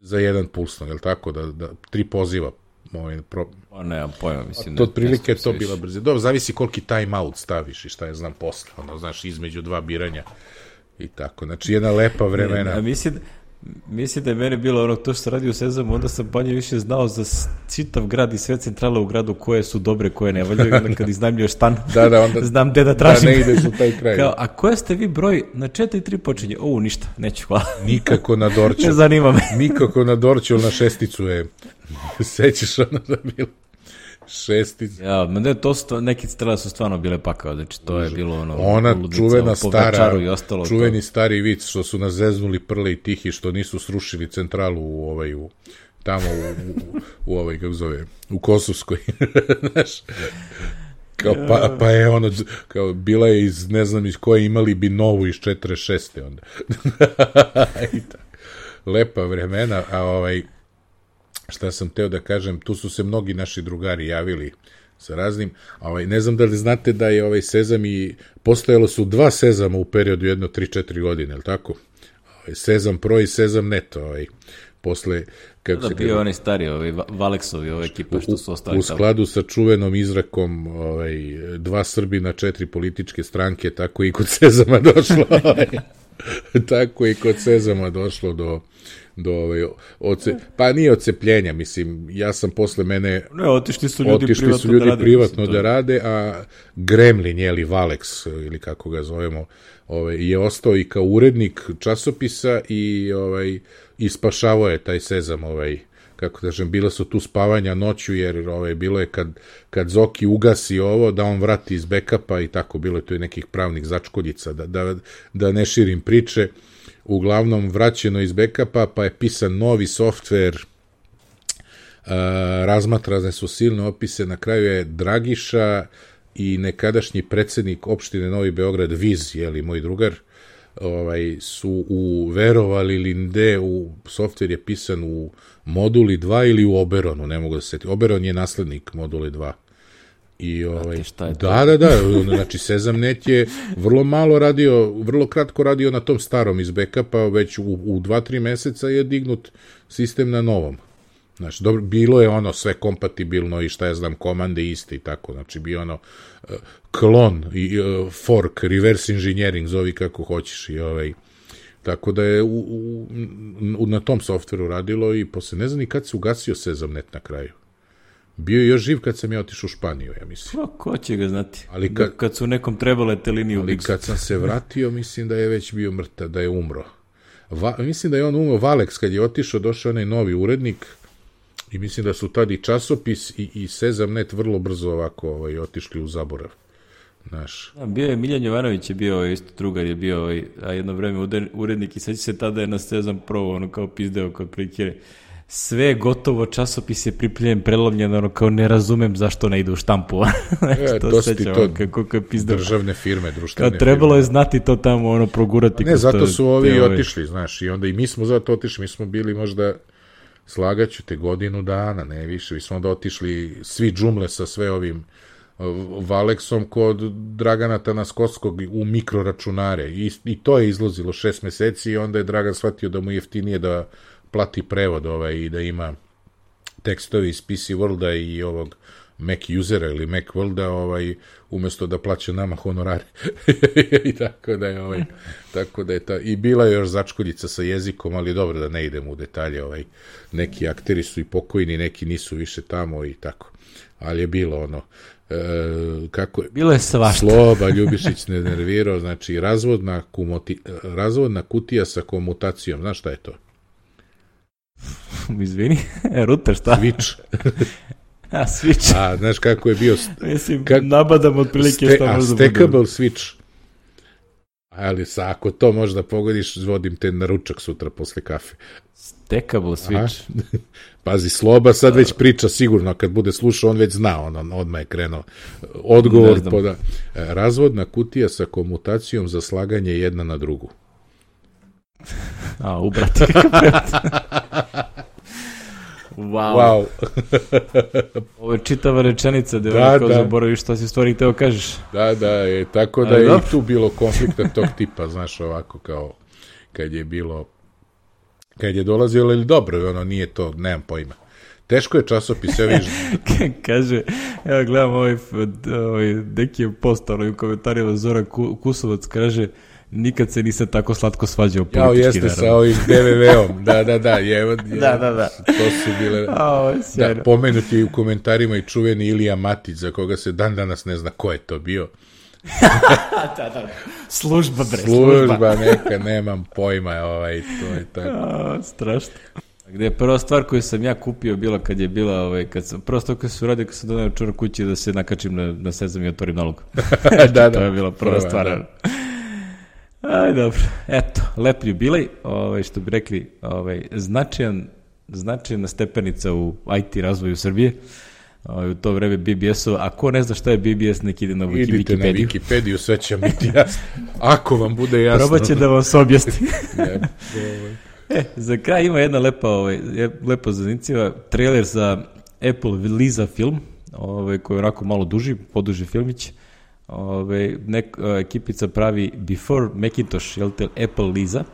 za jedan pulsno, je li tako, da, da tri poziva. Ovaj, pro... O, nemam pojma, mislim. To otprilike je to bila brzina. Dobro, zavisi koliki time out staviš i šta je znam posle, ono, znaš, između dva biranja. I tako, znači jedna lepa vremena. A mislim, mislim da je mene bilo ono, to što sam radio u Sezamu, onda sam manje više znao za čitav grad i sve centrale u gradu koje su dobre, koje ne valjaju, onda kad iznajmljuješ stan, da, da, onda, znam gde da tražim. Da ne ideš u taj kraj. Kao, a koje ste vi broj? Na četiri tri počinje. O, ništa, neću, hvala. Nikako na Dorću. Ne zanima me. Nikako na Dorću, na šesticu je. Sećaš ono da bilo? Šestica. Ja, ne, to su, neki strela su stvarno bile pakao, znači to je bilo ono... Ona čuvena stara, i ostalo, čuveni to. stari vic, što su nas zeznuli Prle i Tihi, što nisu srušili centralu u ovaj, u, tamo u, u, u ovaj, kako zove, u Kosovskoj, znaš, kao, pa, pa je ono, kao, bila je iz, ne znam iz koje, imali bi novu iz četrdeset šeste onda. Lepa vremena, a ovaj... Šta sam teo da kažem, tu su se mnogi naši drugari javili sa raznim, ovaj, ne znam da li znate da je ovaj Sezam i postojalo su dva Sezama u periodu jedno tri četiri godine, je li tako? Ovaj, Sezam Pro i Sezam Net, ovaj, posle... Kako da, se bio kada... oni stari, ovaj, Valeksovi, ova ekipa što su ostali u, u skladu sa čuvenom izrakom ovaj, dva Srbina, četiri političke stranke, tako i kod Sezama došlo, ovaj, tako i kod Sezama došlo do do ove, oce, pa nije odcepljenja, mislim, ja sam posle mene... Ne, otišli su ljudi otišli privatno, su ljudi da, rade, privatno mislim, da rade, a Gremlin, jeli Valex, ili kako ga zovemo, ovaj, je ostao i kao urednik časopisa i, ovaj, i spašavao je taj Sezam, ovaj, kako kažem, bila su tu spavanja noću, jer ovaj, bilo je kad, kad Zoki ugasi ovo, da on vrati iz backupa i tako, bilo je tu i nekih pravnih začkoljica, da, da, da ne širim priče. Uglavnom vraćeno iz backupa, pa je pisan novi softver, uh, razmatrane su silne opise, na kraju je Dragiša i nekadašnji predsednik opštine Novi Beograd, Viz, jeli moj drugar, ovaj, su u, verovali ili ne, u softver je pisan u Moduli dva ili u Oberonu, ne mogu da se seti. Oberon je naslednik Moduli dva. I ovaj, da, da, da, znači Sezamnet je vrlo malo radio, vrlo kratko radio na tom starom iz backupa, već u, u dva, tri meseca je dignut sistem na novom. Znači, dobro, bilo je ono sve kompatibilno i šta ja znam, komande iste i tako, znači bio ono uh, klon i uh, fork, reverse engineering, zovi kako hoćeš i ovaj, tako da je u, u, u, na tom softveru radilo i posle ne znam ni kad se ugasio Sezamnet na kraju. Bio je još živ kad sam ja otišao u Španiju, ja mislim. Pa, ko će ga znati? Ali kad, kad su nekom trebale te linije u Ali Bixu. kad sam se vratio, mislim da je već bio mrtav, da je umro. Va, mislim da je on umro, Valex, kad je otišao, došao onaj novi urednik i mislim da su tad i časopis i, i Sezamnet vrlo brzo ovako ovaj, otišli u zaborav. Naš. Da, bio je Miljan Jovanović, je bio isto drugar, je bio ovaj, a jedno vreme urednik i sad će se tada je na Sezam Pro, ono kao pizdeo kod prilike. Sve gotovo, časopis je pripljen, prelomljen, ono kao ne razumem zašto ne ide u štampu. E, to to sećam, to kako je pizdeo. Državne firme, društvene firme. Trebalo je firme. znati to tamo, ono, progurati. Ne, zato su ovi te, otišli, znaš, i onda i mi smo zato otišli, mi smo bili možda, slagaću te, godinu dana, ne više, mi smo onda otišli svi džumle sa sve ovim Valexom kod Dragana Tanaskovskog u mikroračunare i, i to je izlazilo šest meseci i onda je Dragan shvatio da mu je jeftinije da plati prevod ovaj, i da ima tekstovi iz P C Worlda i ovog Mac usera ili Mac Worlda ovaj, umjesto da plaća nama honorare. I tako da je ovaj, tako da je ta, i bila je još začkoljica sa jezikom, ali dobro da ne idemo u detalje, ovaj, neki akteri su i pokojni, neki nisu više tamo i tako. Ali je bilo ono, e, kako je, bilo je svašta. Sloba Ljubišić ne nervirao, znači razvodna, kumoti, razvodna kutija sa komutacijom, znaš šta je to? Izvini, router šta? Switch. A, switch. A, znaš kako je bio... Mislim, kak, nabadam otprilike ste, šta možda bude. A, stackable switch. Ali sa, ako to možda pogodiš, vodim te na ručak sutra posle kafe. Stackable switch. Pazi, Sloba sad već priča sigurno, kad bude slušao, on već zna, on, on odmah je krenuo. Odgovor poda... Razvodna kutija sa komutacijom za slaganje jedna na drugu. A, ubrati kakav Wow. Wow. Ovo je čitava rečenica da, da, kao da. zaboraviš šta si stvari teo kažeš. Da, da, je, tako da ali je dobro. I tu bilo konflikta tog tipa, znaš, ovako kao kad je bilo, kad je dolazilo, ili dobro, ono nije to, nemam pojma. Teško je časopis, ja viš... Kaže, evo gledam ovaj, ovaj neki je post, ono, u komentarima Zoran Kusovac kaže, nikad se nisam tako slatko svađao politički. Jao, jeste naravno. Sa ovim de ve ve-om, da, da, da, je, je, da, da, da. To su bile... O, da, pomenuti je u komentarima i čuveni Ilija Matić, za koga se dan danas ne zna ko je to bio. da, da, služba, bre, služba. Služba, neka, nemam pojma, ovaj, to je tako. A, strašno. Gde je prva stvar koju sam ja kupio bila kad je bila, ovaj, kad sam, prva stvar koju sam uradio kad sam donao čuvar kući da se nakačim na, na Sezam i otvorim nalog. da, da. To je bila prva, prva stvar. Da. Aj, dobro. Eto, lep jubilej, ovaj, što bi rekli, ovaj, značajan, značajna stepenica u I T razvoju Srbije. Ovaj, u to vreme B B S-ova. A ko ne zna šta je B B S, nek ide na Wikipediju. Idite na Wikipediju, sve će biti jasno. Ako vam bude jasno. Probat će da vam se objasni. E, za kraj ima jedna lepa, ovaj, lepa zanicija, trailer za Apple Lisa film, ovaj, koji je onako malo duži, poduži filmić. Ove, nek, ekipica pravi Before Macintosh, jel te, Apple Lisa.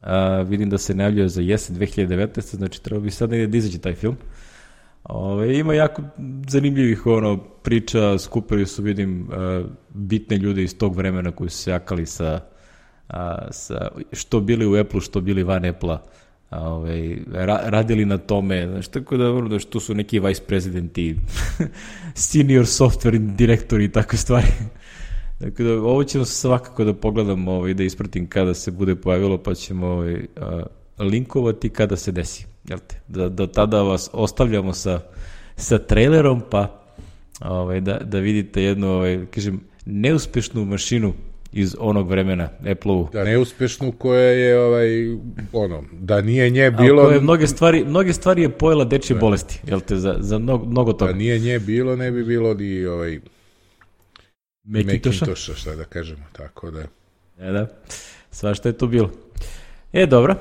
A, vidim da se najavljuje za jesen dve hiljade devetnaeste. Znači treba bi sad negdje da izađe taj film. Ove, ima jako zanimljivih ono, priča, skupili su, vidim, a, bitne ljude iz tog vremena koji su se jakali sa, a, sa što bili u Apple-u, što bili van Apple-a ovaj, ra, radili na tome, znaš, tako da, da tu su neki vice presidenti, senior software direktori i takve stvari. Dakle, da, ovo ćemo svakako da pogledamo, ovaj, da ispratim kada se bude pojavilo, pa ćemo ovaj, a, linkovati kada se desi. Jel te? Da, da tada vas ostavljamo sa, sa trailerom, pa ovaj, da, da vidite jednu, ovaj, kažem, neuspešnu mašinu iz onog vremena Apple-u. Da, neuspešnu koja je, ovaj, ono, da nije nje bilo... Koje mnoge stvari, mnoge stvari je pojela dečje da. bolesti, jel te, za, za mnogo, mnogo toga. Da nije nje bilo, ne bi bilo ni, ovaj... Mekintosha, Mekintosha, šta da kažemo, tako da... E da, svašta je to bilo. E, dobro,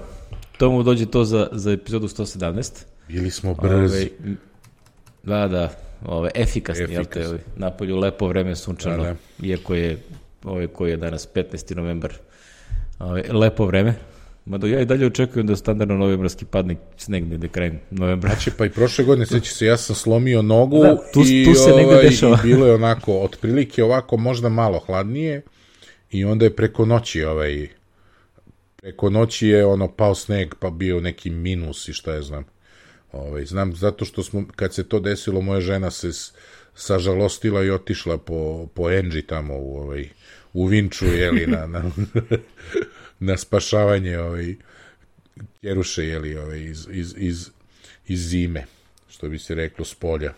to mu dođe to za, za epizodu sto sedamnaest. Bili smo brzi. Ove, da, da, ove, efikasni, Efikas. Jel te, napolju lepo vreme sunčano, da, da. Iako je, ove, koji je danas petnaesti novembar, ove, lepo vreme. Mada ja i dalje očekujem da standardno novembarski padne sneg negde krajem novembra. Znači, pa i prošle godine, seća se, ja sam slomio nogu da, tu, i, tu se negde ovaj, dešava. I bilo je onako, otprilike ovako možda malo hladnije i onda je preko noći ovaj, preko noći je ono pao sneg pa bio neki minus i šta je znam. Ovaj, znam zato što smo, kad se to desilo, moja žena se sažalostila i otišla po, po Enži tamo u, ovaj, u Vinču, jeli, na... na na spašavanje ovaj, Kjeruše, jeli, ovaj, iz, iz, iz, iz zime, što bi se reklo, s polja.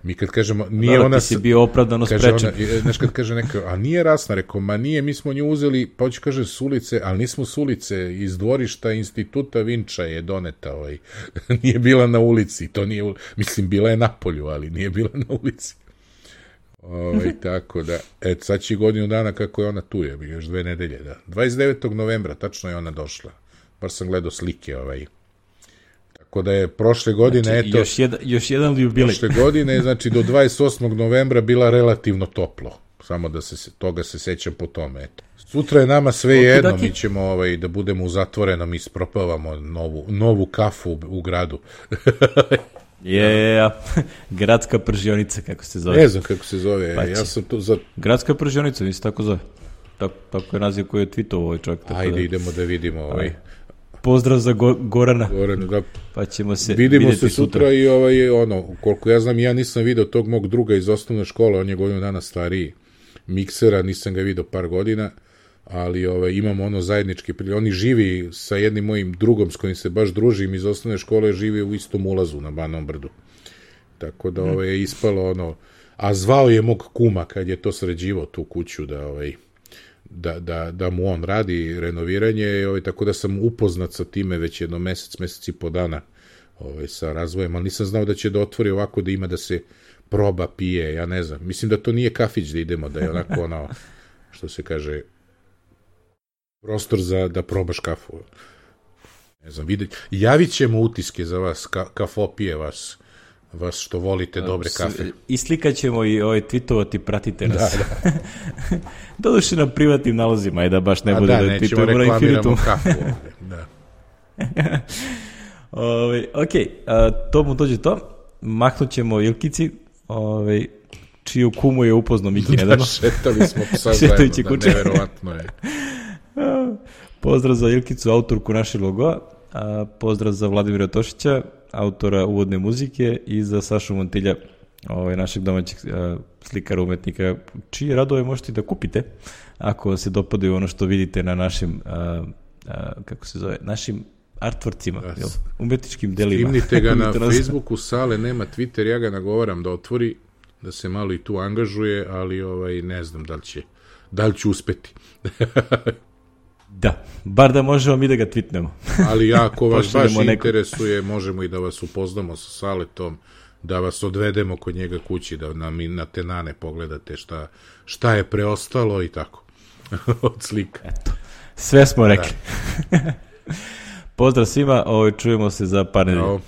Mi kad kažemo, nije da, ona... Ti si bio opravdano sprečen. Znaš, kad kaže neka, a nije rasna, rekao, ma nije, mi smo nju uzeli, pa hoće kaže s ulice, ali nismo s ulice, iz dvorišta instituta Vinča je doneta, ovaj, nije bila na ulici, to nije, mislim, bila je na polju, ali nije bila na ulici. Ovaj, tako da, et, sad će godinu dana kako je ona tu, je, još dve nedelje, da. dvadeset devetog novembra, tačno je ona došla. Bar sam gledao slike, ovaj. Tako da je prošle godine, znači, eto... Još, jedan, još jedan jubilej. Prošle godine, znači, do dvadeset osmog novembra bila relativno toplo. Samo da se, toga se sećam po tome, eto. Sutra je nama sve jedno, okay, mi ćemo ovaj, da budemo u zatvorenom i ispropavamo novu, novu kafu u, u gradu. Je, yeah, gradska pržionica, kako se zove. Ne znam kako se zove, Paći. ja sam tu za... Gradska pržionica, nisi tako zove. Tako, tako je naziv koji je tweetovao ovaj čovjek. Ajde, da, idemo da vidimo ovaj... Pozdrav za Go, Gorana. Gorana, da. Pa ćemo se vidimo se sutra, sutra i ovaj, ono, koliko ja znam, ja nisam video tog mog druga iz osnovne škole, on je godinu dana stariji, Miksera, nisam ga video par godina, ali ovaj, imamo ono zajednički prilike. Oni živi sa jednim mojim drugom s kojim se baš družim iz osnovne škole, živi u istom ulazu na Banom Brdu. Tako da ovaj, je ispalo ono, a zvao je mog kuma kad je to sređivao tu kuću da ovaj, da, da, da mu on radi renoviranje, ovaj, tako da sam upoznat sa time već jedno mesec, mesec i po dana ovaj, sa razvojem, ali nisam znao da će da otvori ovako da ima da se proba, pije, ja ne znam. Mislim da to nije kafić da idemo, da je onako ono, što se kaže, prostor za da probaš kafu. Ne znam, vidjet. Javit ćemo utiske za vas, ka, kafopije vas, vas što volite dobre kafe. I slikat ćemo i ovaj tweetovati, pratite nas. Da, da. Doduše na privatnim nalozima i da baš ne A bude da, da nećemo tweetujemo na Infinitum. kafu. Da. Ove, ok, a, to mu dođe to. Mahnut ćemo Ilkici, ove, čiju kumu je upoznao Miki nedavno. Da, šetali smo psa zajedno, da, neverovatno je. Pozdrav za Ilkicu, autorku našeg logoa, a pozdrav za Vladimira Tošića, autora uvodne muzike, i za Sašu Montilja, ovaj, našeg domaćeg a, slikara, umetnika, čije radove možete da kupite ako vam se dopadaju ono što vidite na našim a, a, kako se zove, našim artworkcima, da, jel? Umetničkim delima. Skimnite ga na Facebooku, Sale nema Twitter, ja ga nagovaram da otvori, da se malo i tu angažuje, ali ovaj, ne znam da li će, da li će uspeti. Da, bar da možemo mi da ga tweetnemo. Ali ako vas baš interesuje, možemo i da vas upoznamo sa Saletom, da vas odvedemo kod njega kući, da nam na tenane pogledate šta, šta je preostalo i tako. Od slika. Eto, sve smo rekli. Pozdrav svima, ovo, čujemo se za par nedelja.